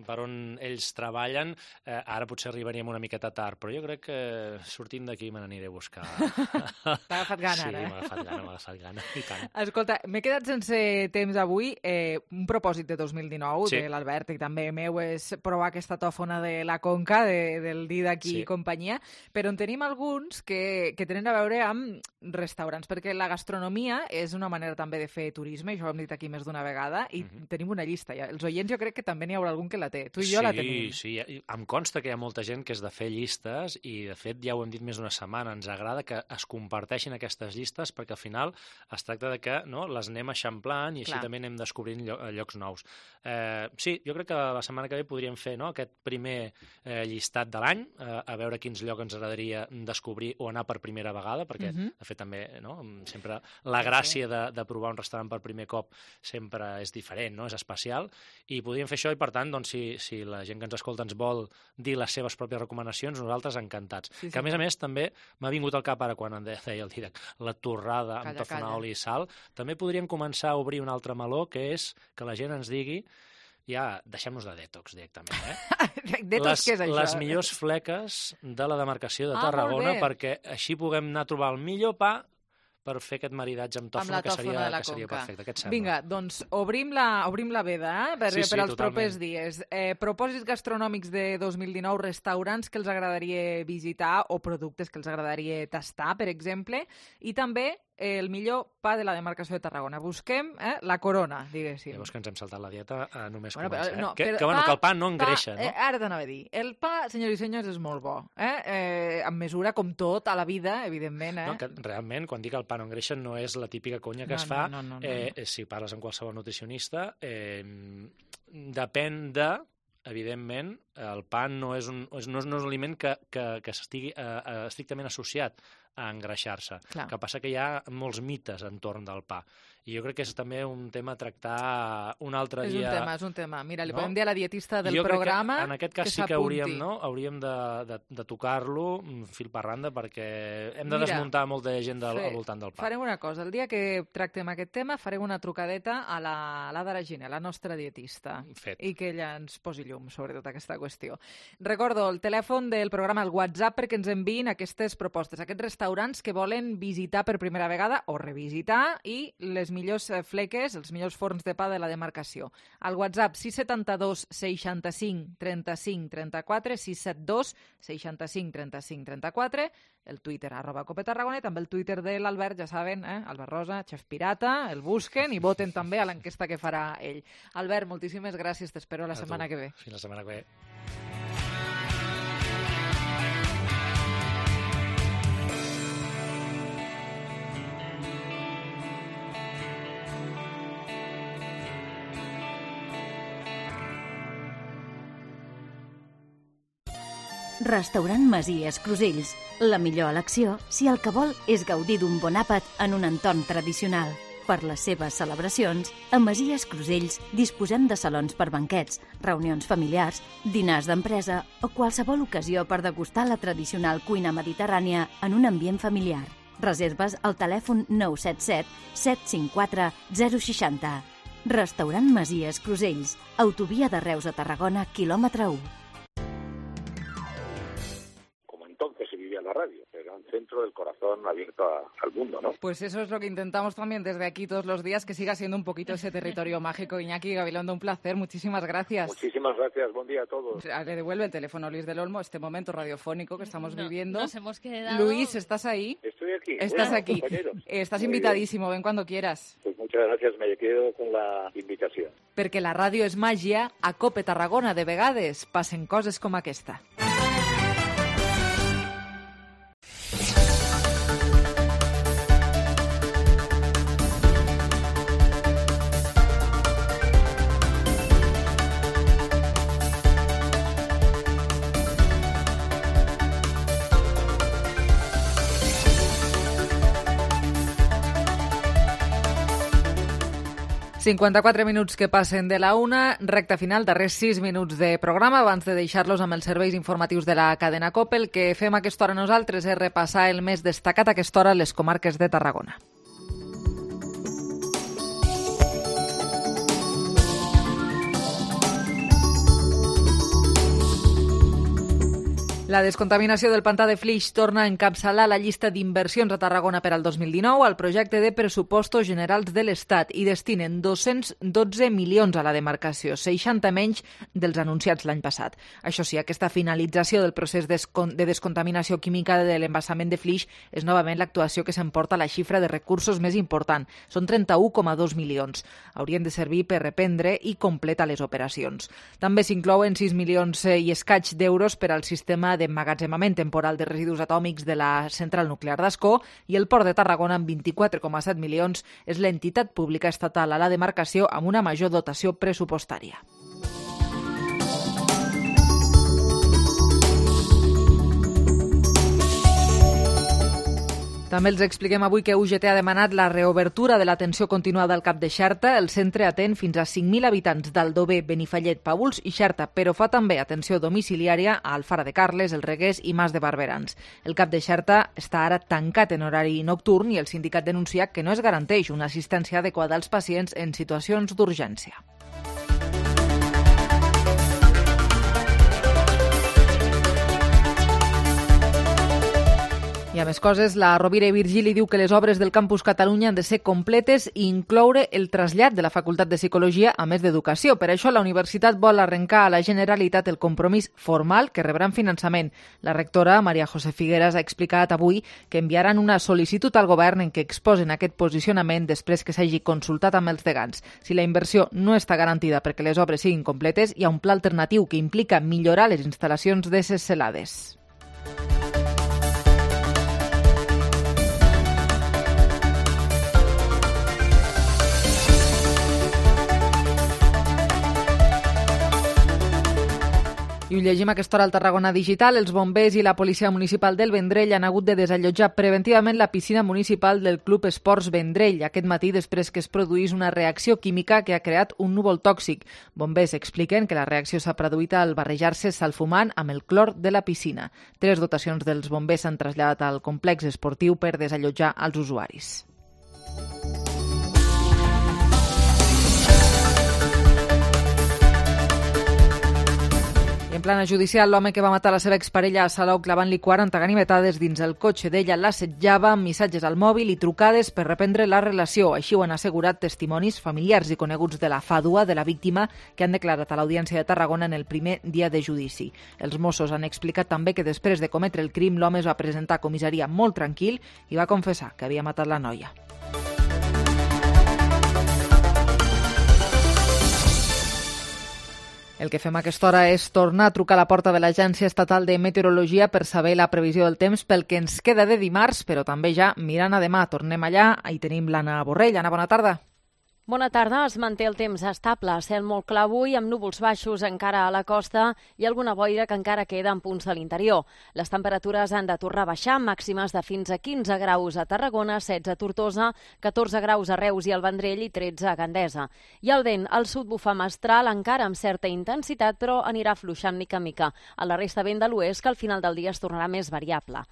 per on ells treballen, eh, ara potser arribaríem una miqueta tard, però jo crec que sortint d'aquí me n'aniré a buscar. T'ha agafat gana, sí, ara, eh? Sí, m'ha agafat gana, m'ha agafat gana, i tant. Escolta, m'he quedat sense temps avui. Eh, un propòsit de dos mil dinou, sí. de l'Albert, i també meu, és provar aquesta tòfona de la Conca, de, del Didac i sí. companyia, però en tenim alguns que, que tenen a veure amb restaurants, perquè la gastronomia és una manera també de fer turisme, això ho hem dit aquí més d'una vegada, i uh-huh. tenim una llista. Ja. Els oients jo crec que també n'hi haurà algun que la té. Tu i sí, jo la tenim. Sí, sí. Em consta que hi ha molta gent que és de fer llistes i, de fet, ja ho hem dit més d'una setmana, ens agrada que es comparteixin aquestes llistes perquè al final es tracta de que no, les anem eixamplant i així Clar. També anem descobrint llocs nous. Eh, sí, jo crec que la setmana que ve podríem fer no, aquest primer eh, llistat de l'any, eh, a veure quins llocs ens agradaria descobrir o anar per primera vegada, perquè, uh-huh. de fet, també no, sempre la gràcia de, de provar un restaurant per primer cop sempre és diferent, no? És especial, i podríem fer això i, per tant, doncs, si, si la gent que ens escolta ens vol dir les seves pròpies recomanacions, nosaltres encantats. Sí, sí. Que, a més a més, també m'ha vingut al cap ara quan en deia el Didac, la torrada calla, amb tòfona, oli i sal. També podríem començar a obrir un altre meló, que és que la gent ens digui ja, deixem-nos de detox directament, eh? Detox, les, què és això? Les millors fleques de la demarcació de Tarragona, ah, perquè així puguem anar a trobar el millor pa per fer aquest maridatge amb tòfona, amb que seria, que seria perfecte. Què et sembla? Vinga, doncs obrim la, obrim la veda eh? per, sí, sí, per als totalment. propers dies. Eh, propòsits gastronòmics de dos mil dinou, restaurants que els agradaria visitar o productes que els agradaria tastar, per exemple, i també el millor pa de la demarcació de Tarragona. Busquem eh, la corona, diguéssim. Llavors que ens hem saltat la dieta a només bueno, començar. Però, no, eh? que, però, que, bueno, pa, que el pa no engreixa, pa, no? Eh, ara t'anava a dir. El pa, senyors i senyors, és molt bo. Eh? Eh, en mesura, com tot, a la vida, evidentment. Eh? No, que realment, quan dic el pa no engreixa, no és la típica conya que no, es fa. No, no, no, no, eh, no. Si parles amb qualsevol nutricionista, eh, depèn de... Evidentment, el pa no és un, no és, no és un aliment que, que, que estigui eh, estrictament associat a engreixar-se. El que passa que hi ha molts mites entorn del pa. I jo crec que és també un tema a tractar un altre és dia. És un tema, és un tema. Mira, li no? podem dir a la dietista del jo programa que en aquest cas que sí que hauríem, no? hauríem de, de, de tocar-lo fil per randa perquè hem de Mira, desmuntar molta gent del, fe, al voltant del pa. Farem una cosa. El dia que tractem aquest tema farem una trucadeta a la, a la Daragina, la nostra dietista. Fet. I que ella ens posi llum sobre tota aquesta qüestió. Recordo el telèfon del programa, el WhatsApp, perquè ens enviïn aquestes propostes, aquests restaurants que volen visitar per primera vegada o revisitar i les millors fleques, els millors forns de pa de la demarcació. Al WhatsApp sis set dos seixanta-cinc trenta-cinc trenta-quatre, sis set dos seixanta-cinc trenta-cinc trenta-quatre, el Twitter arroba Cope Tarragona i també el Twitter de l'Albert, ja saben, eh? Albert Rosa, Xef Pirata, el busquen i voten també a l'enquesta que farà ell. Albert, moltíssimes gràcies, t'espero la a setmana tu. que ve. Fins la setmana que ve. Restaurant Masies Crusells. La millor elecció si el que vol és gaudir d'un bon àpat en un entorn tradicional. Per les seves celebracions, a Masies Crusells disposem de salons per banquets, reunions familiars, dinars d'empresa o qualsevol ocasió per degustar la tradicional cuina mediterrània en un ambient familiar. Reserves al telèfon nou set set set cinc quatre zero sis zero. Restaurant Masies Crusells, autovia de Reus a Tarragona, quilòmetre u. Como entonces se vivía la radio, el gran centro del corazón abierto a, al mundo, ¿no? Pues eso es lo que intentamos también desde aquí todos los días, que siga siendo un poquito ese territorio mágico. Iñaki Gabilondo, un placer, muchísimas gracias. Muchísimas gracias, buen día a todos. Le devuelve el teléfono Luis del Olmo, este momento radiofónico que estamos no, viviendo. Nos hemos quedado... Luis, ¿estás ahí? Estoy aquí. Estás bueno, aquí. Compañeros. Estás Muy invitadísimo, bien. Ven cuando quieras. Pues muchas gracias, me quedo con la invitació. Perquè la ràdio és màgia, a Cope Tarragona de vegades passen coses com aquesta. cinquanta-quatre minuts que passen de la una, recta final, darrers sis minuts de programa, abans de deixar-los amb els serveis informatius de la cadena COPE. El que fem a aquesta hora nosaltres és repassar el més destacat a aquesta hora a les comarques de Tarragona. La descontaminació del pantà de Flix torna a encapçalar la llista d'inversions a Tarragona per al dos mil dinou al projecte de pressupostos generals de l'Estat i destinen dos-cents dotze milions a la demarcació, seixanta menys dels anunciats l'any passat. Això sí, aquesta finalització del procés de descontaminació química de l'embassament de Flix és novament l'actuació que s'emporta la xifra de recursos més important. Són trenta-un coma dos milions. Haurien de servir per reprendre i completar les operacions. També s'inclouen sis milions i escaig d'euros per al sistema d'emmagatzemament temporal de residus atòmics de la central nuclear d'Ascó i el Port de Tarragona amb vint-i-quatre coma set milions és l'entitat pública estatal a la demarcació amb una major dotació pressupostària. També els expliquem avui que U G T ha demanat la reobertura de l'atenció continuada al Cap de Xerta. El centre atén fins a cinc mil habitants d'Aldover, Benifallet, Paüls i Xerta, però fa també atenció domiciliària a Alfara de Carles, El Regués i Mas de Barberans. El Cap de Xerta està ara tancat en horari nocturn i el sindicat denuncia que no es garanteix una assistència adequada als pacients en situacions d'urgència. I a més coses, la Rovira i Virgili diu que les obres del Campus Catalunya han de ser completes i incloure el trasllat de la Facultat de Psicologia a més d'Educació. Per això la universitat vol arrencar a la Generalitat el compromís formal que rebran finançament. La rectora, Maria José Figueras, ha explicat avui que enviaran una sol·licitud al govern en què exposen aquest posicionament després que s'hagi consultat amb els degans. Si la inversió no està garantida perquè les obres siguin completes, hi ha un pla alternatiu que implica millorar les instal·lacions de ses celades. I ho llegim a aquesta hora al Tarragona Digital. Els bombers i la policia municipal del Vendrell han hagut de desallotjar preventivament la piscina municipal del Club Esports Vendrell aquest matí després que es produís una reacció química que ha creat un núvol tòxic. Bombers expliquen que la reacció s'ha produït al barrejar-se sal fumant amb el clor de la piscina. Tres dotacions dels bombers s'han traslladat al complex esportiu per desallotjar els usuaris. I en plana judicial, l'home que va matar la seva exparella a Salou clavant-li quaranta ganivetades dins el cotxe d'ella l'assetjava amb missatges al mòbil i trucades per reprendre la relació. Així ho han assegurat testimonis familiars i coneguts de la fàdua de la víctima que han declarat a l'Audiència de Tarragona en el primer dia de judici. Els Mossos han explicat també que després de cometre el crim l'home es va presentar a comissaria molt tranquil i va confessar que havia matat la noia. El que fem a aquesta hora és tornar a trucar a la porta de l'Agència Estatal de Meteorologia per saber la previsió del temps pel que ens queda de dimarts, però també ja mirant a demà. Tornem allà, hi tenim l'Anna Borrell. Anna, bona tarda. Bona tarda. Es manté el temps estable, cel molt clar avui, amb núvols baixos encara a la costa i alguna boira que encara queda en punts de l'interior. Les temperatures han de tornar a baixar, màximes de fins a quinze graus a Tarragona, setze a Tortosa, catorze graus a Reus i al Vendrell i tretze a Gandesa. I el vent al sud bufa mestral, encara amb certa intensitat, però anirà fluixant mica en mica. A la resta vent de l'oest, que al final del dia es tornarà més variable.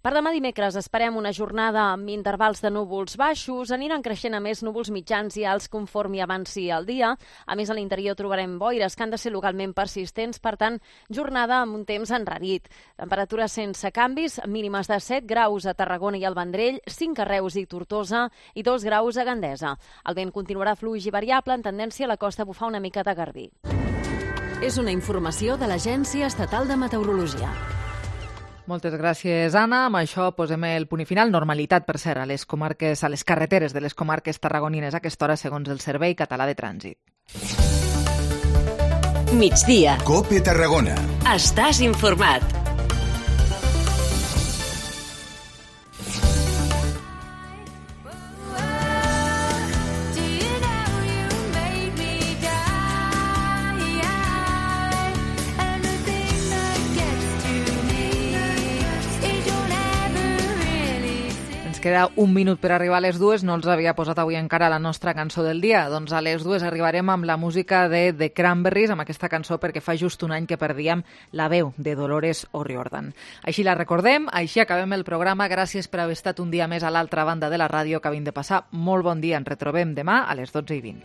Per demà dimecres esperem una jornada amb intervals de núvols baixos, aniran creixent a més núvols mitjans i alts conforme avanci el dia. A més, a l'interior trobarem boires que han de ser localment persistents, per tant, jornada amb un temps enrarit. Temperatures sense canvis, mínimes de set graus a Tarragona i al Vendrell, cinc a Reus i Tortosa i dos graus a Gandesa. El vent continuarà fluix i variable, en tendència a la costa a bufar una mica de garbí. És una informació de l'Agència Estatal de Meteorologia. Moltes gràcies, Anna. Amb això posem el punt i final. Normalitat, per cert, a les comarques, a les carreteres de les comarques tarragonines a aquesta hora, segons el Servei Català de Trànsit. Migdia. COPE Tarragona. Estàs informat. Queda un minut per arribar a les dues, no els havia posat avui encara la nostra cançó del dia. Doncs a les dues arribarem amb la música de The Cranberries, amb aquesta cançó perquè fa just un any que perdíem la veu de Dolores O'Riordan. Així la recordem, així acabem el programa. Gràcies per haver estat un dia més a l'altra banda de la ràdio. Acabem de passar molt bon dia. Ens retrobem demà a les dotze i vint.